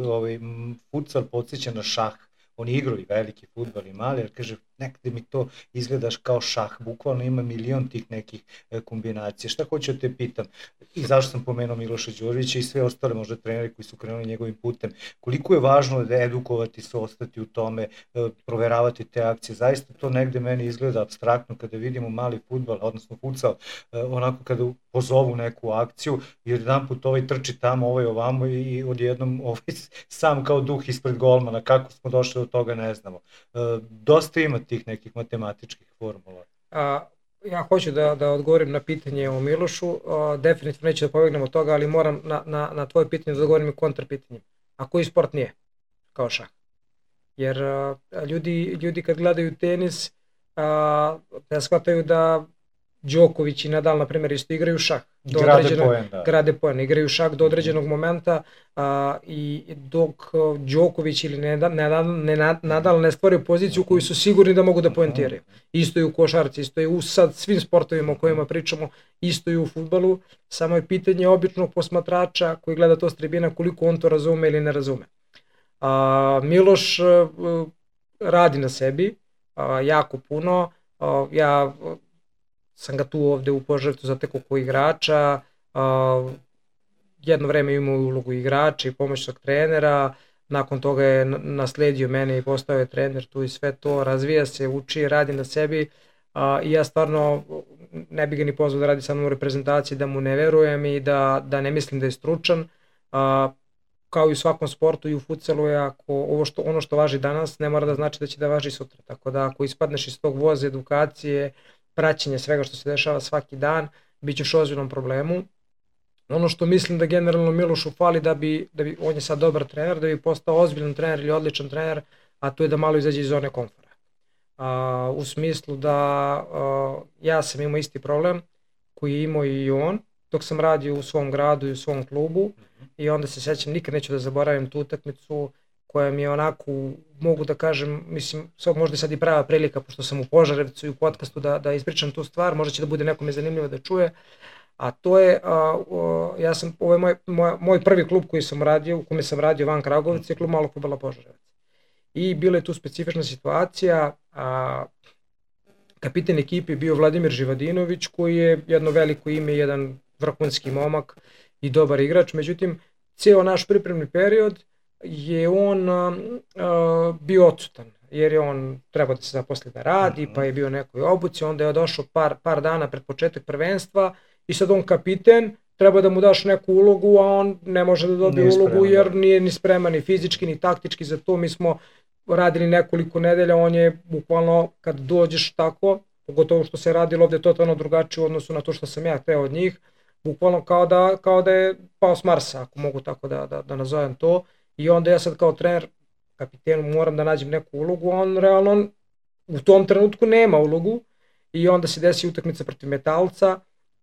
futsal podsjeća na šah. Oni igrali veliki fudbal i mali, jer kaže, nekde mi to izgledaš kao šah, bukvalno ima milion tih nekih kombinacija. Šta hoću da te pitam? I zašto sam pomenuo Miloša Đorđića i sve ostale možda treneri koji su krenuli njegovim putem. Koliko je važno da edukovati se, ostati u tome, proveravati te akcije. Zaista to negde meni izgleda apstraktno kada vidimo mali fudbal, odnosno futsal, onako kada pozovu neku akciju, jer jedan put trči tamo, ovamo i odjednom sam kao duh ispred golmana. Kako smo došli do toga ne znamo. Dosta ima tih nekih matematičkih formula. Ja hoću da odgovorim na pitanje o Milošu, definitivno neću da pobegnem od toga, ali moram na tvoje pitanje da odgovorim i kontrapitanjem. A koji sport nije kao šah? Jer ljudi kad gledaju tenis, da shvataju da Đoković i Nadal, na primjer, isto igraju šah. Grade poen, igraju šah do određenog momenta i dok Đoković ili Nadal ne stvore poziciju koju su sigurni da mogu da poentiraju. Isto je u košarci, isto je u sad svim sportovima o kojima pričamo, isto je u fudbalu, samo je pitanje običnog posmatrača koji gleda to s tribina koliko on to razume ili ne razume. Miloš radi na sebi jako puno, ja sam ga tu ovde u Požarevcu zatekao kao igrača, jedno vreme imao ulogu igrača i pomoćnog trenera, nakon toga je nasledio mene i postao je trener tu i sve to, razvija se, uči, radi na sebi i ja stvarno ne bi ga ni pozvao da radi sa mnom u reprezentaciji, da mu ne verujem i da ne mislim da je stručan. Kao i u svakom sportu i u futsalu je ono što važi danas ne mora da znači da će da važi sutra. Tako da ako ispadneš iz tog voza edukacije, praćenje svega što se dešava svaki dan, bit ćeš u ozbiljnom problemu. Ono što mislim da generalno Milošu fali da bi on je sad dobar trener, da bi postao ozbiljan trener ili odličan trener, a to je da malo izađe iz zone komfora. U smislu da ja sam imao isti problem koji je imao i on dok sam radio u svom gradu i u svom klubu i onda se sećam, nikad neću da zaboravim tu utakmicu koja mi je onako, mogu da kažem, mislim, možda je sad i prava prilika pošto sam u Požarevcu i u podcastu da ispričam tu stvar, možda će da bude nekome zanimljivo da čuje, a to je, ovo je moj prvi klub koji sam radio, u kome sam radio van Kragujevca, je klub Malog fudbala Požarevac. I bila je tu specifična situacija, kapitan ekipe je bio Vladimir Živadinović koji je jedno veliko ime, jedan vrhunski momak i dobar igrač, međutim, ceo naš pripremni period je on bio odsutan, jer je on trebao da se zaposli da radi, pa je bio nekoj obuci, onda je došao par dana pred početak prvenstva i sad on kapiten, treba da mu daš neku ulogu, a on ne može da dobije ulogu jer nije ni spreman ni fizički ni taktički za to. Mi smo radili nekoliko nedelja, on je bukvalno kad dođeš tako, pogotovo što se radilo ovde totalno drugačije u odnosu na to što sam ja hteo od njih, bukvalno kao da je pao s Marsa, ako mogu tako da nazovem to. I onda ja sad kao trener, kapitenu, moram da nađem neku ulogu, a on realno u tom trenutku nema ulogu i onda se desi utakmica protiv Metalca,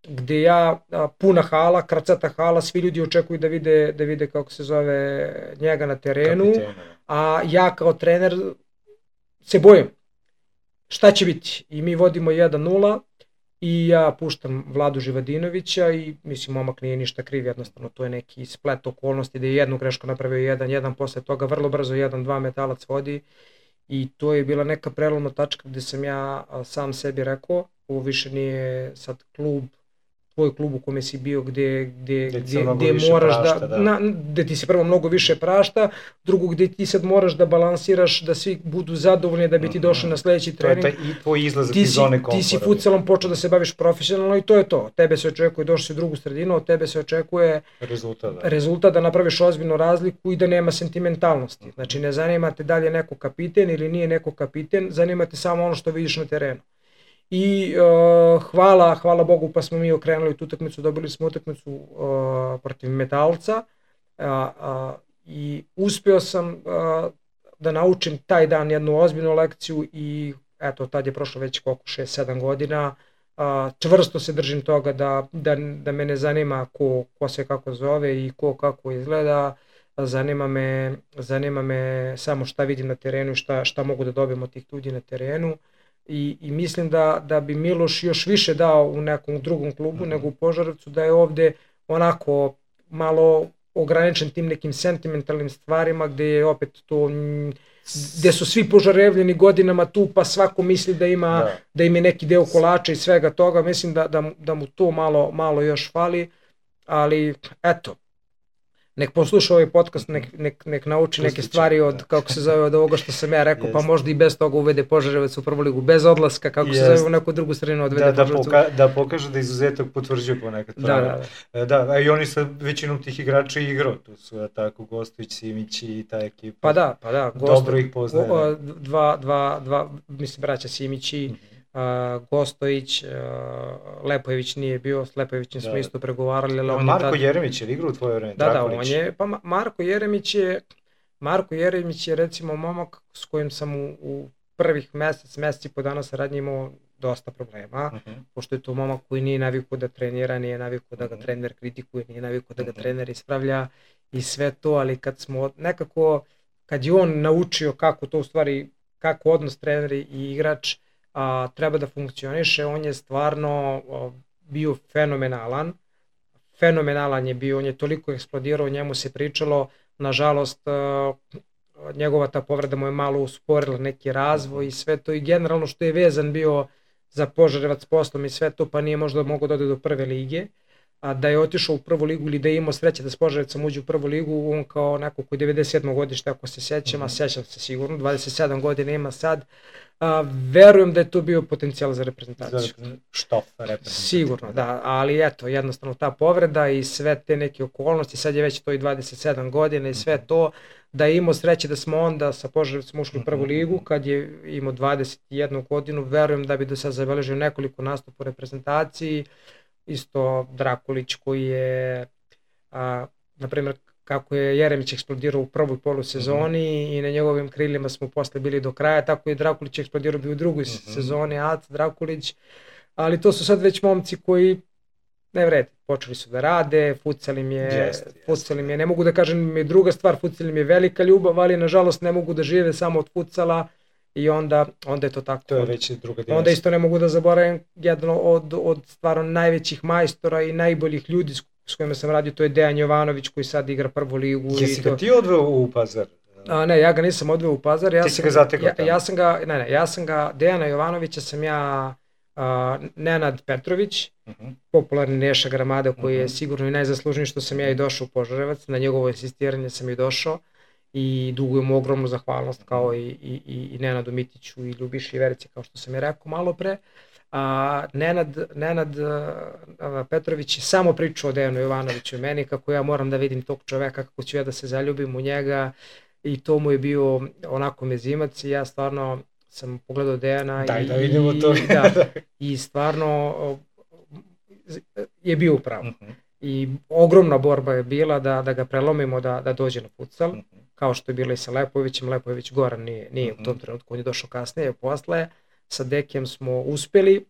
gde ja, puna hala, kracata hala, svi ljudi očekuju da vide kako se zove njega na terenu, a ja kao trener se bojim šta će biti. I mi vodimo 1-0 i ja puštam Vladu Živadinovića i mislim momak nije ništa kriv, jednostavno to je neki splet okolnosti da je jednu grešku napravio 1-1, posle toga vrlo brzo 1-2 Metalac vodi i to je bila neka prelomna tačka gde sam ja sam sebi rekao, ovo više nije sad klub, tvoj klub u kome si bio gde moraš gde ti se prvo mnogo više prašta, drugo gde ti sad moraš da balansiraš da svi budu zadovoljni da bi ti došli na sledeći trening. To je i tvoj izlazak iz zone komfora. Ti si futsalom počeo da se baviš profesionalno i to je to. Tebe se očekuje, došli si u drugu sredinu, od tebe se očekuje rezultat da napraviš ozbiljnu razliku i da nema sentimentalnosti. Znači ne zanima te da li je neko kapiten ili nije neko kapiten, zanima te samo ono što vidiš na terenu. I hvala Bogu pa smo mi okrenuli tu utakmicu, dobili smo utakmicu protiv Metalca i uspeo sam da naučim taj dan jednu ozbiljnu lekciju i eto tad je prošlo već koliko 6-7 godina, čvrsto se držim toga da me ne zanima ko se kako zove i ko kako izgleda, zanima me samo šta vidim na terenu i šta mogu da dobijem od tih ljudi na terenu. I mislim da bi Miloš još više dao u nekom drugom klubu nego u Požarevcu, da je ovde onako malo ograničen tim nekim sentimentalnim stvarima gde je opet to, gde su svi Požarevljeni godinama tu pa svako misli da ima neki deo kolača i svega toga, mislim da mu to malo još fali, ali eto, nek posluša ovaj podcast, nek nauči neke stvari od, kako se zove, od ovoga što sam ja rekao, pa možda i bez toga uvede Požarevac u prvu ligu, bez odlaska, kako se zove, u neku drugu sredinu odvede Požarevac. Da pokaže da izuzetak potvrđuje ponekad. Da, i oni sa većinom tih igrača igrao, tu su tako Gostović, Simić i ta ekipa. Pa da, dobro ih poznaje. Dva, mislim, braća Simići, Gostović, Lepojević nije bio, s Lepojevićem smo isto pregovarali. Marko Jeremić je igrao u tvoje vreme? Da, on je, pa Marko Jeremić je recimo momak s kojim sam u prvih mesec i po dana saradnje imao dosta problema, pošto je to momak koji nije navikao da trenira, nije navikao da ga trener kritikuje, nije navikao da ga trener ispravlja i sve to, ali kad je on naučio kako to u stvari, kako odnos trener i igrač treba da funkcioniše, on je stvarno bio fenomenalan je bio, on je toliko eksplodirao, o njemu se pričalo, nažalost njegova ta povreda mu je malo usporila neki razvoj i sve to i generalno što je vezan bio za Požarevac poslom i sve to, pa nije možda mogao da ode do prve lige, da je otišao u prvu ligu ili da je imao sreće da s Požarevcem uđe u prvu ligu, on kao neko koji je 97. godište, ako se sećam, a sećam se sigurno, 27 godina ima sad, verujem da je to bio potencijal za reprezentaciju. Štof reprezentaciju. Sigurno, da, ali eto, jednostavno ta povreda i sve te neke okolnosti, sad je već to i 27 godina i sve to, da je imao sreće da smo onda sa Požarevcem ušli u prvu ligu, kad je imao 21 godinu, verujem da bi do sad zabeležio nekoliko nastupa u reprezentaciji, isto Drakulić koji je, na primjer, kako je Jeremić eksplodirao u prvoj polusezoni i na njegovim krilima smo posle bili do kraja, tako je Drakulić eksplodirao bi u drugoj sezoni, Aca Drakulić, ali to su sad već momci koji ne vrede, počeli su da rade, futsal im je, ne mogu da kažem mi druga stvar, futsal im je velika ljubav, ali nažalost ne mogu da žive samo od futsala i onda je to tako. To je već druga dimenzija. Onda isto ne mogu da zaboravim jedno od stvarno najvećih majstora i najboljih ljudi s kojima sam radio, to je Dejan Jovanović koji sad igra prvu ligu. Jesi ga ti odveo u Pazar? Ne, ja ga nisam odveo u Pazar. Ti si ga zatekao tamo? Ja sam ga, Dejana Jovanovića sam ja, Nenad Petrović, popularni Neša Gramada koji je sigurno i najzaslužniji što sam ja i došao u Požarevac, na njegovo insistiranje sam i došao i dugujem ogromnu zahvalnost kao i Nenadu Mitiću i Ljubiši i Verici kao što sam je rekao malo pre. Nenad Petrović je samo pričao o Dejanu Jovanoviću i meni kako ja moram da vidim tog čoveka, kako ću ja da se zaljubim u njega i to mu je bio onako mezimac i ja stvarno sam pogledao Dejana da vidimo to. I stvarno je bio upravo. I ogromna borba je bila da ga prelomimo da dođe na futsal, kao što je bilo i sa Lepovićem. Lepović Goran nije u tom trenutku, on je došao kasnije, posle. Sa Dekijem smo uspeli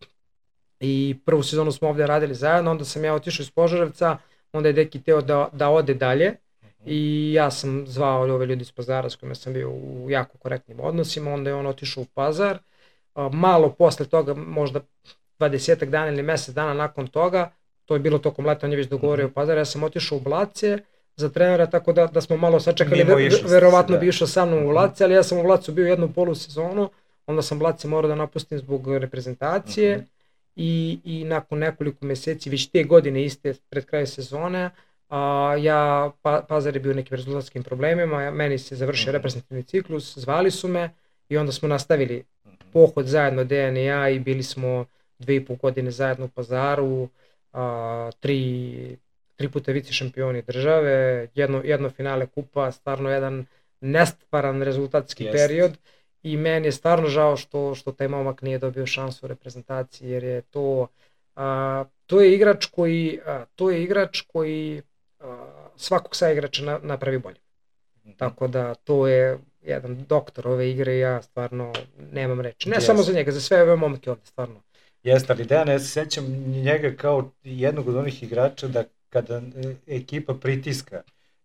i prvu sezonu smo ovde radili zajedno, onda sam ja otišao iz Požarevca, onda je Deki teo da ode dalje i ja sam zvao ove ljudi iz Pazara s kojima sam bio u jako korektnim odnosima, onda je on otišao u Pazar, malo posle toga, možda 20 dana ili mesec dana nakon toga, to je bilo tokom leta, on je već dogovorio u Pazar, ja sam otišao u Blace za trenera, tako da smo malo sačekali, verovatno bi išao sa mnom u Blace, ali ja sam u Blacu bio jednu polusezonu, onda sam Blace morao da napustim zbog reprezentacije i nakon nekoliko meseci, već te godine iste pred kraj sezone, Pazar je bio nekim rezultatskim problemima, meni se završio reprezentativni ciklus, zvali su me i onda smo nastavili pohod zajedno Dejan i ja i bili smo 2,5 godine zajedno u Pazaru, tri puta vice šampioni države, jedno finale kupa, stvarno jedan nestvaran rezultatski period. I meni je stvarno žao što taj momak nije dobio šansu u reprezentaciji, jer je to je igrač koji svakog saigrača napravi bolje. Tako da to je jedan doktor ove igre i ja stvarno nemam reči. Ne samo za njega, za sve ove momke ovde, stvarno. Jeste, ali Dejan, ja se sećam njega kao jednog od onih igrača da kada ekipa pritiska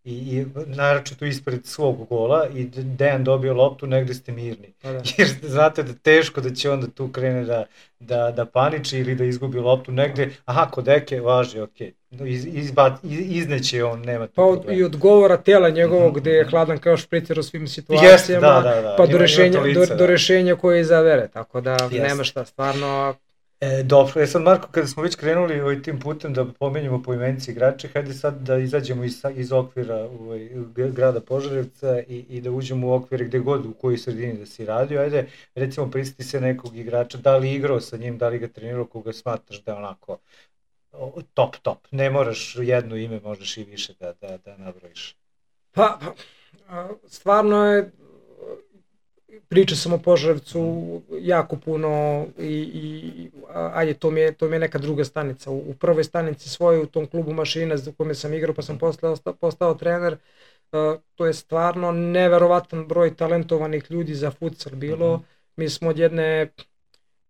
i naročito ispred svog gola i Dejan dobio loptu, negde ste mirni. Jer znate da teško da će onda tu krene da paniči ili da izgubi loptu negde, kod Deke važi, okej. Izneće on, nema tu problema. I od govora tela njegovog gde je hladan kao špricer u svim situacijama, pa do rešenja koje izabere, tako da nema šta, stvarno. Dobro, sad Marko, kada smo već krenuli tim putem da pomenjamo poimenice igrače, hajde sad da izađemo iz okvira grada Požarevca i da uđemo u okvire gde god u kojoj sredini da si radio. Ajde, recimo prisjeti se nekog igrača, da li igrao sa njim, da li ga trenirao, koga smatraš da je onako top. Ne moraš jedno ime, možeš i više da nabrojiš. Pa, stvarno je, pričao sam o Požarevcu jako puno i ajde, to mi je neka druga stanica. U prvoj stanici svojoj, u tom klubu Mašina za kome sam igrao pa sam postao trener, to je stvarno neverovatan broj talentovanih ljudi za futsal bilo. Mi smo od jedne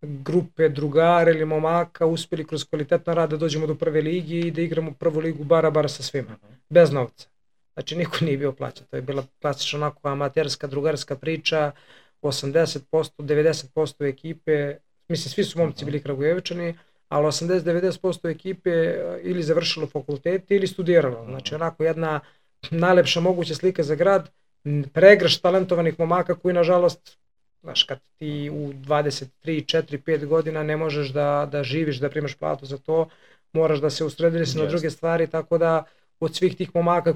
grupe drugara ili momaka uspeli kroz kvalitetan rad da dođemo do prve ligi i da igramo prvu ligu bara sa svima, bez novca. Znači niko nije bio plaćan, to je bila klasična onako amaterska, drugarska priča, 80%, 90% ekipe, mislim svi su momci bili Kragujevičani, ali 80-90% ekipe ili završilo fakultete ili studiralo. Znači onako jedna najlepša moguća slika za grad, pregršt talentovanih momaka koji nažalost znaš, kad ti u 23, 4, 5 godina ne možeš da živiš, da primaš platu za to, moraš da se usredsrediš na druge stvari, tako da od svih tih momaka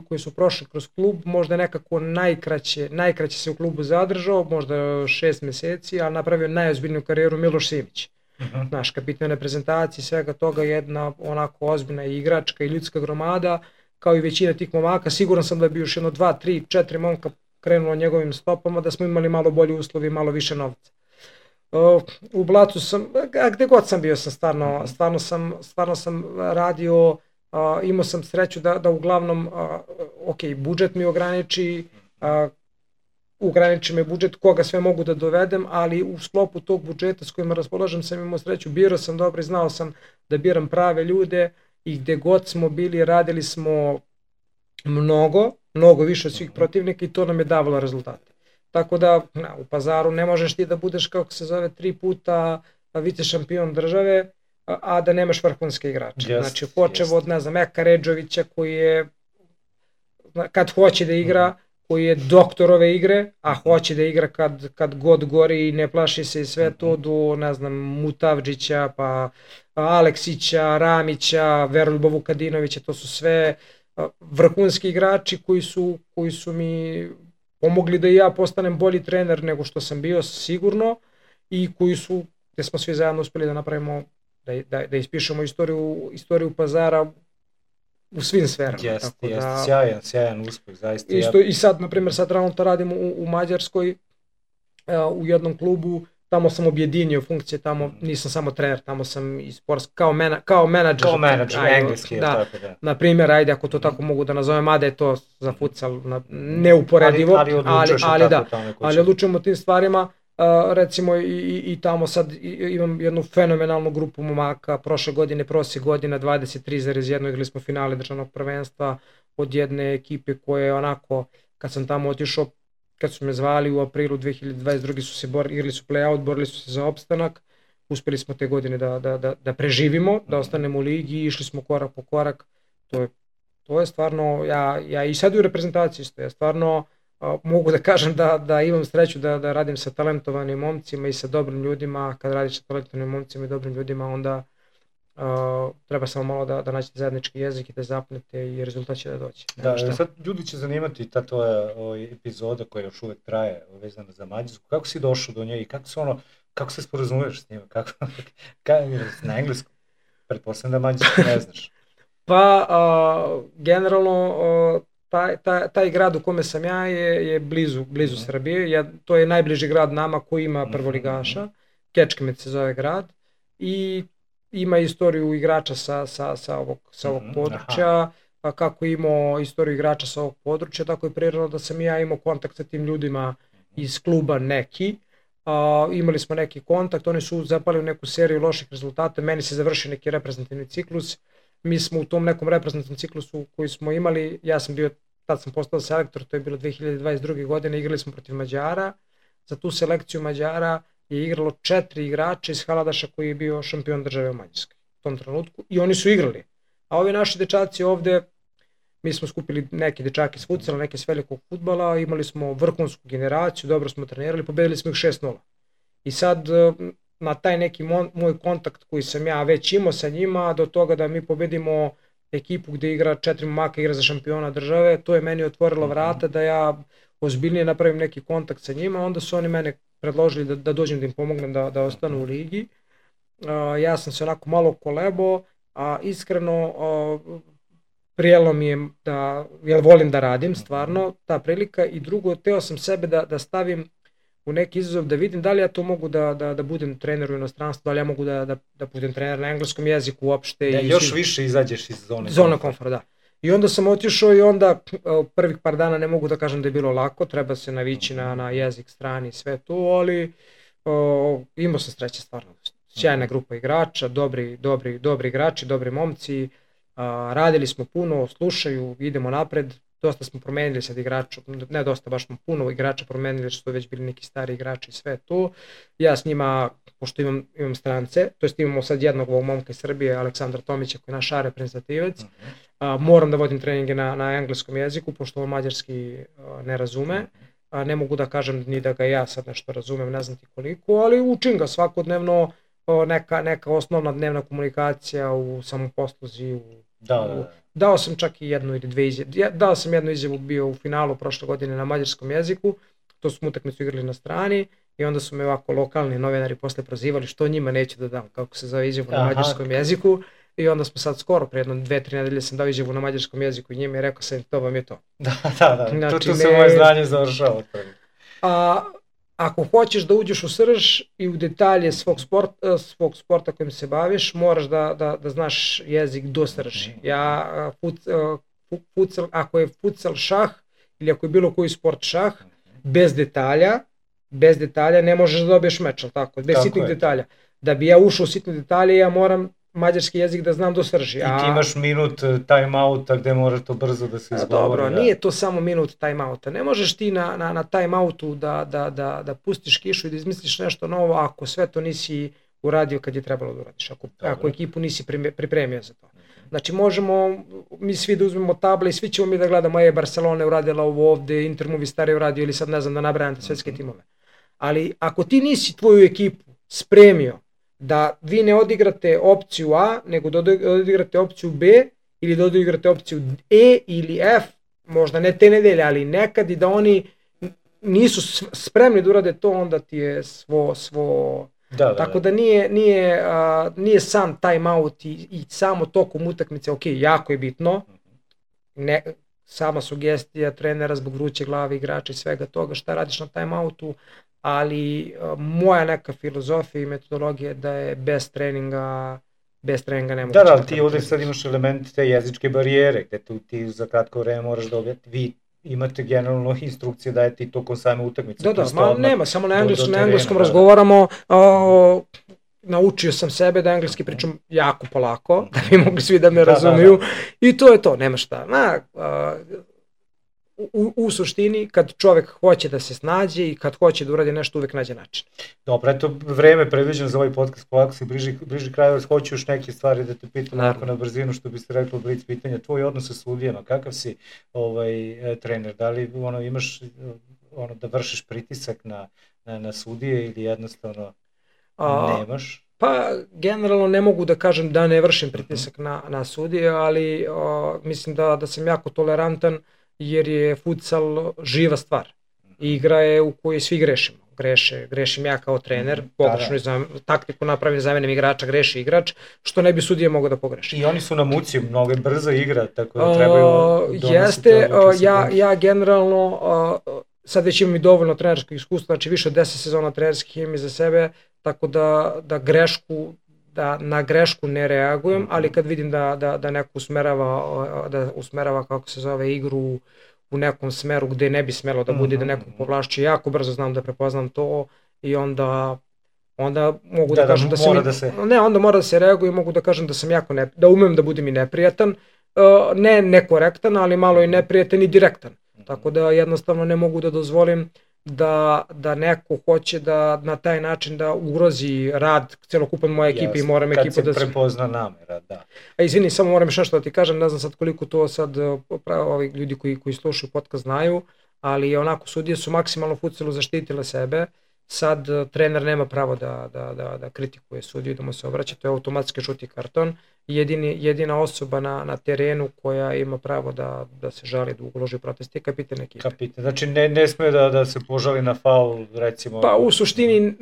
koji su prošli kroz klub, možda nekako najkraće se u klubu zadržao, možda 6 meseci, ali napravio najozbiljniju karijeru Miloš Simić. Znaš, kapitan reprezentacije, svega toga, jedna onako ozbiljna igračka i ljudska gromada, kao i većina tih momaka. Siguran sam da bi još 1, 2, 3, 4 momka krenulo njegovim stopama, da smo imali malo bolji uslovi i malo više novca. U Blatu sam, gde god sam bio sam stvarno sam radio, imao sam sreću da uglavnom, budžet mi ograniči me budžet koga sve mogu da dovedem, ali u sklopu tog budžeta s kojima raspolažem sam imao sreću, birao sam dobro i znao sam da biram prave ljude i gde god smo bili radili smo mnogo više od svih protivnika i to nam je davalo rezultate. Tako da u Pazaru ne možeš ti da budeš, kako se zove, 3 puta vice šampion države, a da nemaš vrhunske igrače. Znači počev od, Eka Redžovića koji je, kad hoće da igra, koji je doktor ove igre, a hoće da igra kad god gori i ne plaši se i sve to, do, Mutavdžića, pa Aleksića, Ramića, Veroljuba Vukadinovića, to su sve vrhunski igrači koji su mi pomogli da i ja postanem bolji trener nego što sam bio sigurno i gde smo svi zajedno uspeli da napravimo, da ispišemo istoriju Pazara u svim sferama. Jeste, sjajan uspeh, zaista. I sad, na primjer, trenutno radim u Mađarskoj, u jednom klubu, tamo sam objedinio funkcije, tamo nisam samo trener, tamo sam i sportski, kao menadžer. Kao menadžer, engleski, da. Na primjer, ajde, ako to tako mogu da nazovem, mada je to za futsal neuporedivo, ali odlučujemo o tim stvarima. Recimo i tamo sad imam jednu fenomenalnu grupu momaka, prošle godine, prosjek godina 23,1, igrali smo finale državnog prvenstva od jedne ekipe koja je onako, kad sam tamo otišao, kad su me zvali u aprilu 2022. igrali su play-out, borili su se za opstanak, uspeli smo te godine da preživimo, da ostanemo u ligi i išli smo korak po korak, to je stvarno, ja i sad u reprezentaciji isto, ja stvarno mogu da kažem da imam sreću da radim sa talentovanim momcima i sa dobrim ljudima. Kad radiš sa talentovanim momcima i dobrim ljudima, onda treba samo malo da nađete zajednički jezik i da zapnete i rezultat će da doći. Da, sad ljudi će zanimati ta tvoja epizoda koja još uvek traje vezana za Mađarsku. Kako si došao do nje i kako se sporazumuješ s njima? Na engleskom? Pretpostavljam da mađarski ne znaš. Pa, generalno, taj grad u kome sam ja je blizu Srbije, to je najbliži grad nama koji ima prvoligaša, Kečkemet se zove grad i ima istoriju igrača sa ovog područja, kako imao istoriju igrača sa ovog područja, tako je prirodno da sam ja imao kontakt sa tim ljudima iz kluba neki, imali smo neki kontakt, oni su zapali u neku seriju loših rezultata, meni se završio neki reprezentativni ciklus, mi smo u tom nekom reprezentativnom ciklusu koji smo imali, tad sam postao selektor, to je bilo 2022. godine, igrali smo protiv Mađara. Za tu selekciju Mađara je igralo 4 igrača iz Haladaša koji je bio šampion države u Mađarskoj u tom trenutku i oni su igrali. A ovi naši dečaci ovde, mi smo skupili neke dečake s futsala, neke s velikog fudbala, imali smo vrhunsku generaciju, dobro smo trenirali, pobedili smo ih 6-0. I sad na taj neki moj kontakt koji sam ja već imao sa njima, do toga da mi pobedimo ekipu gde igra 4 momaka, igra za šampiona države, to je meni otvorilo vrata da ja ozbiljnije napravim neki kontakt sa njima, onda su oni mene predložili da dođem da im pomognem da ostanu u ligi. Ja sam se onako malo kolebo, a iskreno prijelo mi je jer volim da radim stvarno, ta prilika, i drugo, teo sam sebe da stavim u neki izazov, da vidim da li ja to mogu da budem trener u inostranstvu, da li ja mogu da budem trener na engleskom jeziku uopšte. Da još više izađeš iz zone komfora. Da. I onda sam otišao i onda prvih par dana ne mogu da kažem da je bilo lako, treba se navići na jezik, strani i sve to, ali imao sam sreće stvarno. Sjajna grupa igrača, dobri igrači, dobri momci, radili smo puno, slušaju, idemo napred. Dosta smo promenili sad igrača, ne dosta, baš smo puno igrača promenili, što su već bili neki stari igrači i sve to. Ja s njima, pošto imam strance, to jest imamo sad jednog ovog momka iz Srbije, Aleksandra Tomića, koji je naš reprezentativac, moram da vodim treninge na engleskom jeziku, pošto on mađarski ne razume. ne mogu da kažem ni da ga ja sad nešto razumem, ne znam ti koliko, ali učim ga svakodnevno, neka osnovna dnevna komunikacija u samoposluzi. Dao sam čak i jednu ili dve izjave. Dao sam jednu izjavu, bio u finalu prošle godine na mađarskom jeziku, to smo utakmicu igrali na strani i onda su me ovako lokalni novinari posle prozivali što njima neću da dam, kako se zove izjavu na mađarskom jeziku. I onda smo sad skoro, pre jedno 2-3 nedelje sam dao izjavu na mađarskom jeziku i njima je rekao sam to vam je to. Da, znači, tu se moje znanje završava. Ako hoćeš da uđeš u srž i u detalje svog sporta kojim se baviš, moraš da znaš jezik do srži. Ako je futsal šah ili ako je bilo koji sport šah, bez detalja ne možeš da dobiješ meč, ali tako? Bez sitnih detalja. Da bi ja ušao u sitne detalje, ja moram mađarski jezik da znam do srži. I ti imaš minut time-outa gde moraš to brzo da se izgovori. Dobro, nije to samo minut time-outa. Ne možeš ti na time-outu da pustiš kišu i da izmisliš nešto novo ako sve to nisi uradio kad je trebalo da uradiš. Ako ekipu nisi pripremio za to. Znači možemo mi svi da uzmemo table i svi ćemo mi da gledamo Barcelona je uradila ovo ovde, Inter Movistar je uradio ili sad ne znam da nabrajam te svetske timove. Ali ako ti nisi tvoju ekipu spremio da vi ne odigrate opciju A, nego da odigrate opciju B ili da odigrate opciju E ili F, možda ne te nedelje, ali nekad i da oni nisu spremni da urade to, onda ti je svo... Tako da nije sam time out i samo tokom utakmice, ok, jako je bitno, sama sugestija trenera zbog vruće glave igrača i svega toga šta radiš na time outu, ali moja neka filozofija i metodologija je da je bez treninga nemoguće. Da, ti ovde sad imaš element te jezičke barijere, gde ti za kratko vreme moraš da objaviti, vi imate generalno instrukcije da je ti tokom same utakmice. Da, nema, samo na engleskom razgovaramo, naučio sam sebe da engleski pričam jako polako, da bi mogli svi da me razumiju i to je to, nema šta. U suštini, kad čovek hoće da se snađe i kad hoće da uradi nešto, uvek nađe način. Dobro, eto, vreme predviđeno za ovaj podcast, polako se bliži kraju, hoću još neke stvari da te pitam onako na brzinu, što biste rekli od blic pitanja. Tvoj odnos sa sudijama, kakav si trener? Da li imaš da vršiš pritisak na sudije ili jednostavno nemaš? Pa, generalno ne mogu da kažem da ne vršim pritisak na sudije, ali mislim da sam jako tolerantan, jer je futsal živa stvar. Igra je u kojoj svi grešimo. Grešim ja kao trener, pogrešnu taktiku napravim, zamenim igrača, greši igrač, što ne bi sudije mogao da pogreši. I oni su na muci, mnogo je brza igra, tako da trebaju donositi. Jeste, ja generalno, sad već imam i dovoljno trenerskog iskustva, znači više od 10 sezona trenerskih imam iza sebe, tako da na grešku ne reagujem, ali kad vidim da neko usmerava kako se zove igru u nekom smeru gde ne bi smelo da bude, da nekog povlašće, jako brzo znam da prepoznam to i onda mogu da kažem onda mora da se reaguje i mogu da kažem da sam da umem da budem i neprijatan, ne nekorektan, ali malo i neprijatan i direktan. Tako da jednostavno ne mogu da dozvolim da neko hoće da na taj način da ugrozi rad celokupan moje ekipe i moram ekipu da se... Kad se prepozna namera, da. A izvini, samo moram još nešto da ti kažem, ne znam sad koliko to sad ovi ljudi koji slušaju podcast znaju, ali onako sudije su maksimalno futsalu zaštitile sebe, sad trener nema pravo da kritikuje sudiju, da mu se obraća, to je automatski žuti karton. Jedina osoba na terenu koja ima pravo da se žali, da uloži protest je kapitan ekipe. Znači ne sme da se požali na faul, recimo? Pa u suštini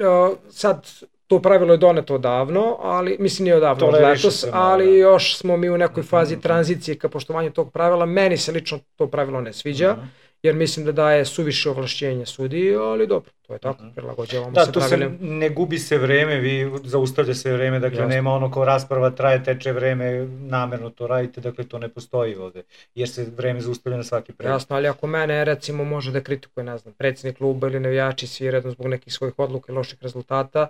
sad to pravilo je doneto odavno, ali mislim nije odavno od letos, ali još smo mi u nekoj fazi tranzicije ka poštovanju tog pravila. Meni se lično to pravilo ne sviđa, jer mislim da daje suviše ovlašćenja sudiji, ali dobro, to je tako, prilagođavamo se pravilima. Da, tu ne gubi se vreme, vi zaustavlja se vreme, dakle nema ono kao rasprava traje, teče vreme, namerno to radite, dakle to ne postoji ovde, jer se vreme zaustavlja na svaki pregled. Jasno, ali ako mene recimo može da kritikuje, ne znam, predsjednik kluba ili navijači svi redom zbog nekih svojih odluka i loših rezultata,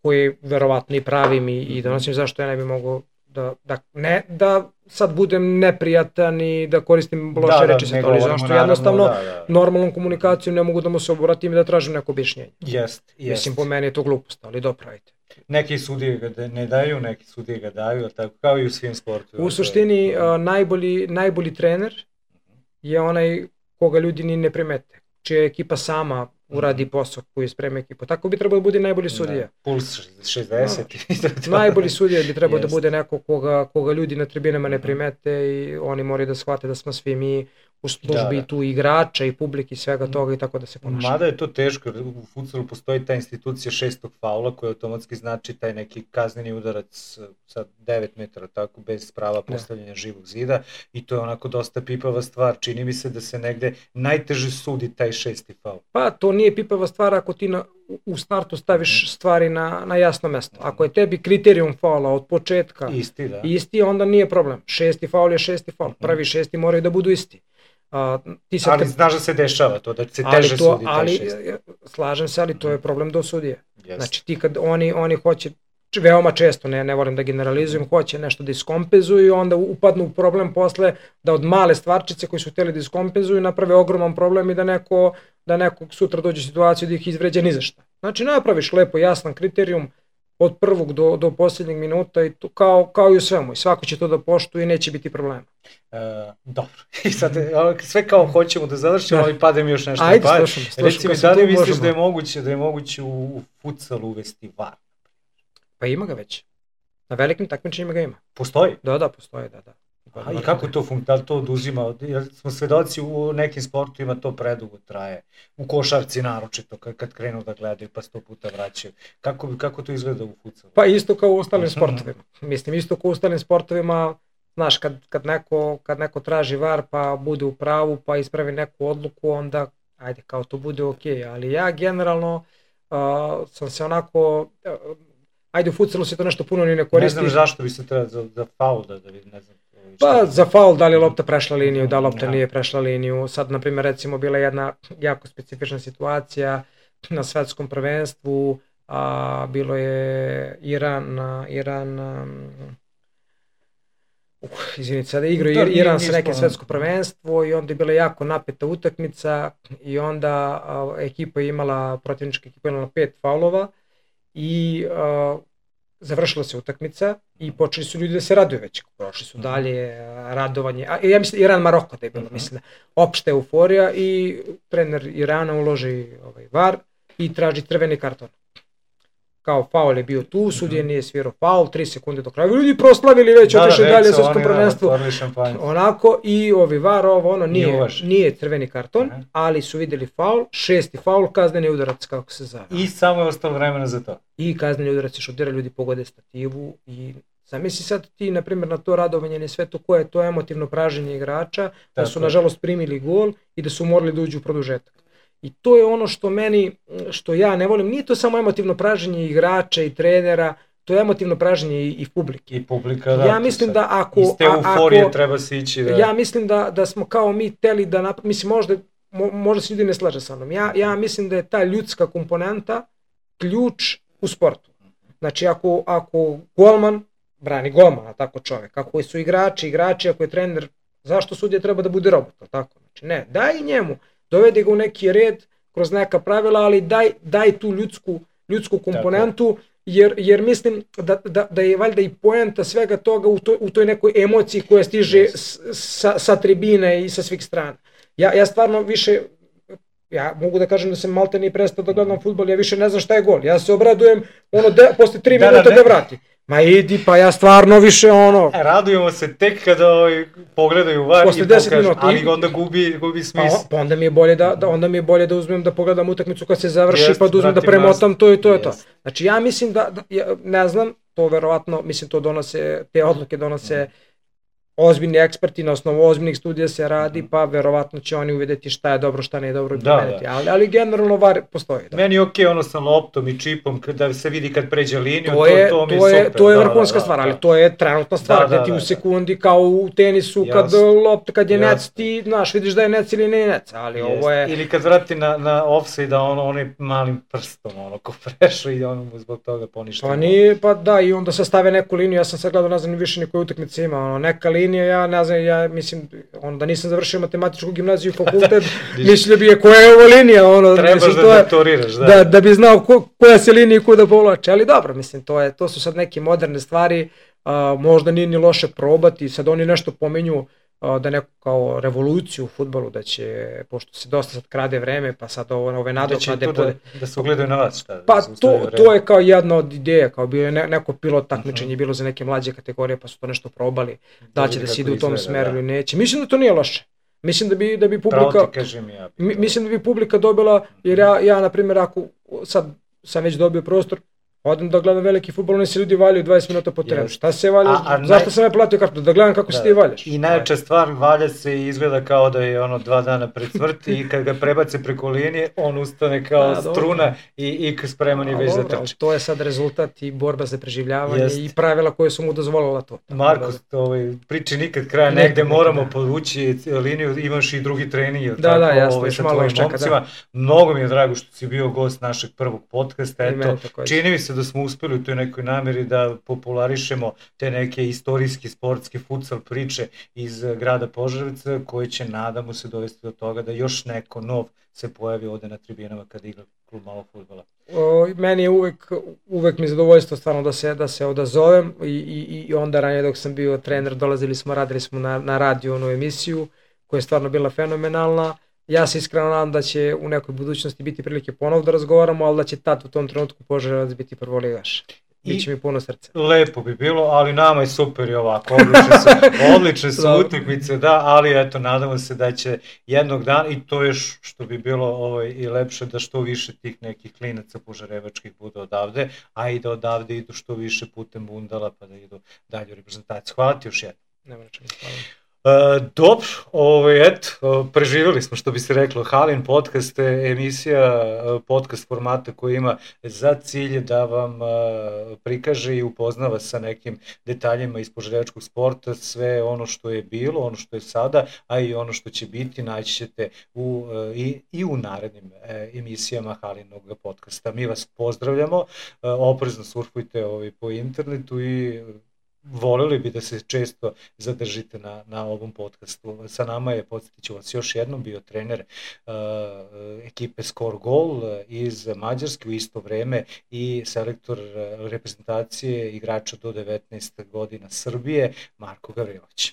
koji verovatno i pravim i donosim, zašto ja ne bi mogao da sad budem neprijatan i da koristim loše reči sa to, zašto jednostavno normalnom komunikacijom ne mogu da mu se obratim i da tražim neko objašnjenje. Mislim, po meni je to glupost, ali dobro, ajde. Neki sudije ga ne daju, neki sudije ga daju, tako kao i u svim sportu. U suštini najbolji trener je onaj koga ljudi ni ne primete. čija ekipa sama uradi posao koji sprema ekipu. Tako bi trebao da bude najbolji sudija. Puls 60. Najbolji sudija bi trebao da bude neko koga ljudi na tribinama ne primete i oni moraju da shvate da smo svi mi u službi tu igrača i publike i svega toga i tako da se ponaša. Mada je to teško, u futsalu postoji ta institucija 6. faula koja automatski znači taj neki kazneni udarac sa 9 metara, tako, bez prava postavljanja živog zida i to je onako dosta pipava stvar. Čini mi se da se negde najteže sudi taj 6. faul. Pa to nije pipava stvar ako ti u startu staviš stvari na jasno mesto. Ako je tebi kriterijum faula od početka isti, onda nije problem. 6. faul je 6. faul. Prvi 6. moraju da budu isti. Ali znaš da se dešava to, da se teže sudi taj 6. Slažem se, ali to je problem do sudije. Znači ti kad oni hoće, veoma često, ne volim da generalizujem, hoće nešto da iskompenzuju i onda upadnu u problem posle da od male stvarčice koji su hteli da iskompenzuju naprave ogroman problem i da neko sutra dođe u situaciju da ih izvređa ni za šta. Znači napraviš lepo jasan kriterijum od prvog do posljednjeg minuta i to, kao i u svemu i svako će to da poštuje i neće biti problema. Dobro, i sad sve kao hoćemo da završimo, ali pada mi još nešto. Ajde, slušam. Reci mi, da li misliš da je moguće u futsalu uvesti VAR? Pa ima ga već. Na velikim takmičenjima ga ima. Postoji? Da, postoji, da. I kako to da li to oduzima? Smo svedoci u nekim sportovima to predugo traje. U košarci naročito, kad krenu da gledaju pa 100 puta vraćaju. Kako to izgleda u futsalu? Pa isto kao u ostalim sportovima. Mislim, isto kao u ostalim sportovima, znaš, kad neko traži VAR pa bude u pravu pa ispravi neku odluku, onda ajde, kao to bude okej. Ali ja generalno sam se onako... Ajde, u futsalu se to nešto puno ni ne koristi. Ne znam zašto bi se treba za faul da ne znam. Pa za faul, da li je lopta prešla liniju, da lopta nije prešla liniju. Sad, na primjer, recimo, bila jedna jako specifična situacija na svetskom prvenstvu, bilo je izvinite, sada igrao Iran sa nekim svetsko prvenstvo i onda je bila jako napeta utakmica i onda protivnička ekipa imala 5 faulova i završila se utakmica i počeli su ljudi da se raduju već, prošli su dalje, radovanje, ja mislim Iran-Maroko da je bilo, mislim, opšta euforija i trener Irana uloži VAR i traži crveni karton. Kao faul je bio tu, sudija nije svirao faul, 3 sekunde do kraja, ljudi proslavili već, otišli dalje u svetskom prvenstvu, onako, i VAR nije crveni karton, ali su vidjeli faul, 6. faul, kazneni udarac, kako se zove. I samo je ostalo vremena za to. I kazneni udarac je šutira, ljudi pogode stativu i zamisli sad ti, na primjer, na to radovanje na sve to koje je to emotivno praženje igrača, da su nažalost primili gol i da su morali da uđu u produžetak. I to je ono što ja ne volim, nije to samo emotivno praženje igrača i trenera, to je emotivno praženje i publike. I publika, da. Ja mislim da ako... Iz te euforije treba se ići da... Ja mislim da smo kao mi teli da mislim, možda se ljudi ne slaže sa mnom. Ja mislim da je ta ljudska komponenta ključ u sportu. Znači ako golman brani golmana, tako čovjek, ako su igrači, ako je trener, zašto sudija treba da bude robot, tako? Znači ne, daj njemu. Dovede ga u neki red kroz neka pravila, ali daj tu ljudsku komponentu, jer mislim da je valjda i poenta svega toga u toj nekoj emociji koja stiže sa tribine i sa svih strana. Ja stvarno više, ja mogu da kažem da sam malte ni prestao da gledam fudbal, ja više ne znam šta je gol. Ja se obradujem posle 3 minuta da vrati. Ma idi, pa ja stvarno više Radujemo se tek kada pogledaju VAR i pokažu, ali onda gubi smisla. Pa onda mi je bolje da uzmem da pogledam utakmicu kad se završi, pa da uzmem da premotam to i to je to. Znači ja mislim ne znam, to verovatno, mislim te odluke donose ozbiljni eksperti, na osnovu ozbiljnih studija se radi, pa verovatno će oni uvidjeti šta je dobro, šta nije dobro i promeniti. Ali generalno VAR postoji. Meni je okej ono sa loptom i čipom, da se vidi kad pređe liniju, to mi je super. To je vrhunska stvar, ali to je trenutna stvar, gdje ti u sekundi kao u tenisu, kad je nec, ti znaš, vidiš da je nec ili nije nec, ali ovo je... Ili kad vrati na offside, da onim malim prstom, ko prešao i ono mu zbog toga poništeno. Pa nije, pa da, i onda se stave neku liniju, ja sam sad gledao, ne znam više ni koje utakmice ima, neka linija, ja ne znam, ja mislim, onda nisam završio matematičku gimnaziju i fakultet, mislio bi je koja je ovo linija, trebaš da doktoriraš, da bi znao koja se linija i kuda povlače, ali dobro, mislim, to su sad neke moderne stvari, možda nije ni loše probati, sad oni nešto pominju, da neku kao revoluciju u fudbalu, da će, pošto se dosta sad krade vreme, pa sad ove nadoknade... Da se ugledaju na vas, šta? Pa to je kao jedna od ideja, kao bio je neko pilot takmičenje, bilo za neke mlađe kategorije, pa su to nešto probali, da će da se ide u tom smeru ili neće. Mislim da to nije loše. Mislim da bi publika... Mislim da bi publika dobila, jer ja na primjer, ako sad sam već dobio prostor, odem da gledam veliki fudbal, oni se ljudi valjaju 20 minuta po terenu. Šta se valjaš? Zašto sam ja platio kartu? Da gledam kako se ti valjaš. I najjača stvar, valja se i izgleda kao da je 2 dana pred smrti i kad ga prebace preko linije, on ustane kao struna i spreman je već za trče. To je sad rezultat i borba za preživljavanje i pravila koje su mu dozvolila to. Marko, priči nikad kraja, negde moramo povući liniju, imaš i drugi trening. Da, jasno, još malo čeka, da. Mnogo mi je drago što si bio gost našeg prvog podcasta. Čini mi se da smo uspeli u toj nekoj nameri da popularišemo te neke istorijske, sportske, futsal priče iz grada Požarevca, koji će, nadamo se, dovesti do toga da još neko nov se pojavi ovde na tribinama kada igra klub malog fudbala. Meni je uvek mi zadovoljstvo stvarno da se odazovem i onda ranije dok sam bio trener radili smo na radiju onu emisiju koja je stvarno bila fenomenalna. Ja se iskreno nadam da će u nekoj budućnosti biti prilike ponovno da razgovaramo, ali da će tad u tom trenutku Požarevac biti prvoligaš. Biće mi puno srca. Lepo bi bilo, ali nama je super i ovako. Odlične su utakmice, da, ali eto, nadamo se da će jednog dana, i to je što bi bilo i lepše, da što više tih nekih klinaca požarevačkih bude odavde, a i da odavde idu što više putem bundala pa da idu dalje u reprezentaciju. Hvala ti još jedno. Nema rečeno, hvala. Dobro, preživjeli smo, što bi se reklo, Halin podcast, emisija, podcast formata koji ima za cilj da vam prikaže i upoznava sa nekim detaljima iz požarevačkog sporta, sve ono što je bilo, ono što je sada, a i ono što će biti, naći ćete i u narednim emisijama Halinog podcasta. Mi vas pozdravljamo, oprezno surfujte po internetu i voleli bi da se često zadržite na ovom podcastu. Sa nama je, podsjetit ću vas još jednom, bio trener ekipe Score Goal iz Mađarske u isto vreme i selektor reprezentacije igrača do 19 godina Srbije, Marko Gavrilović.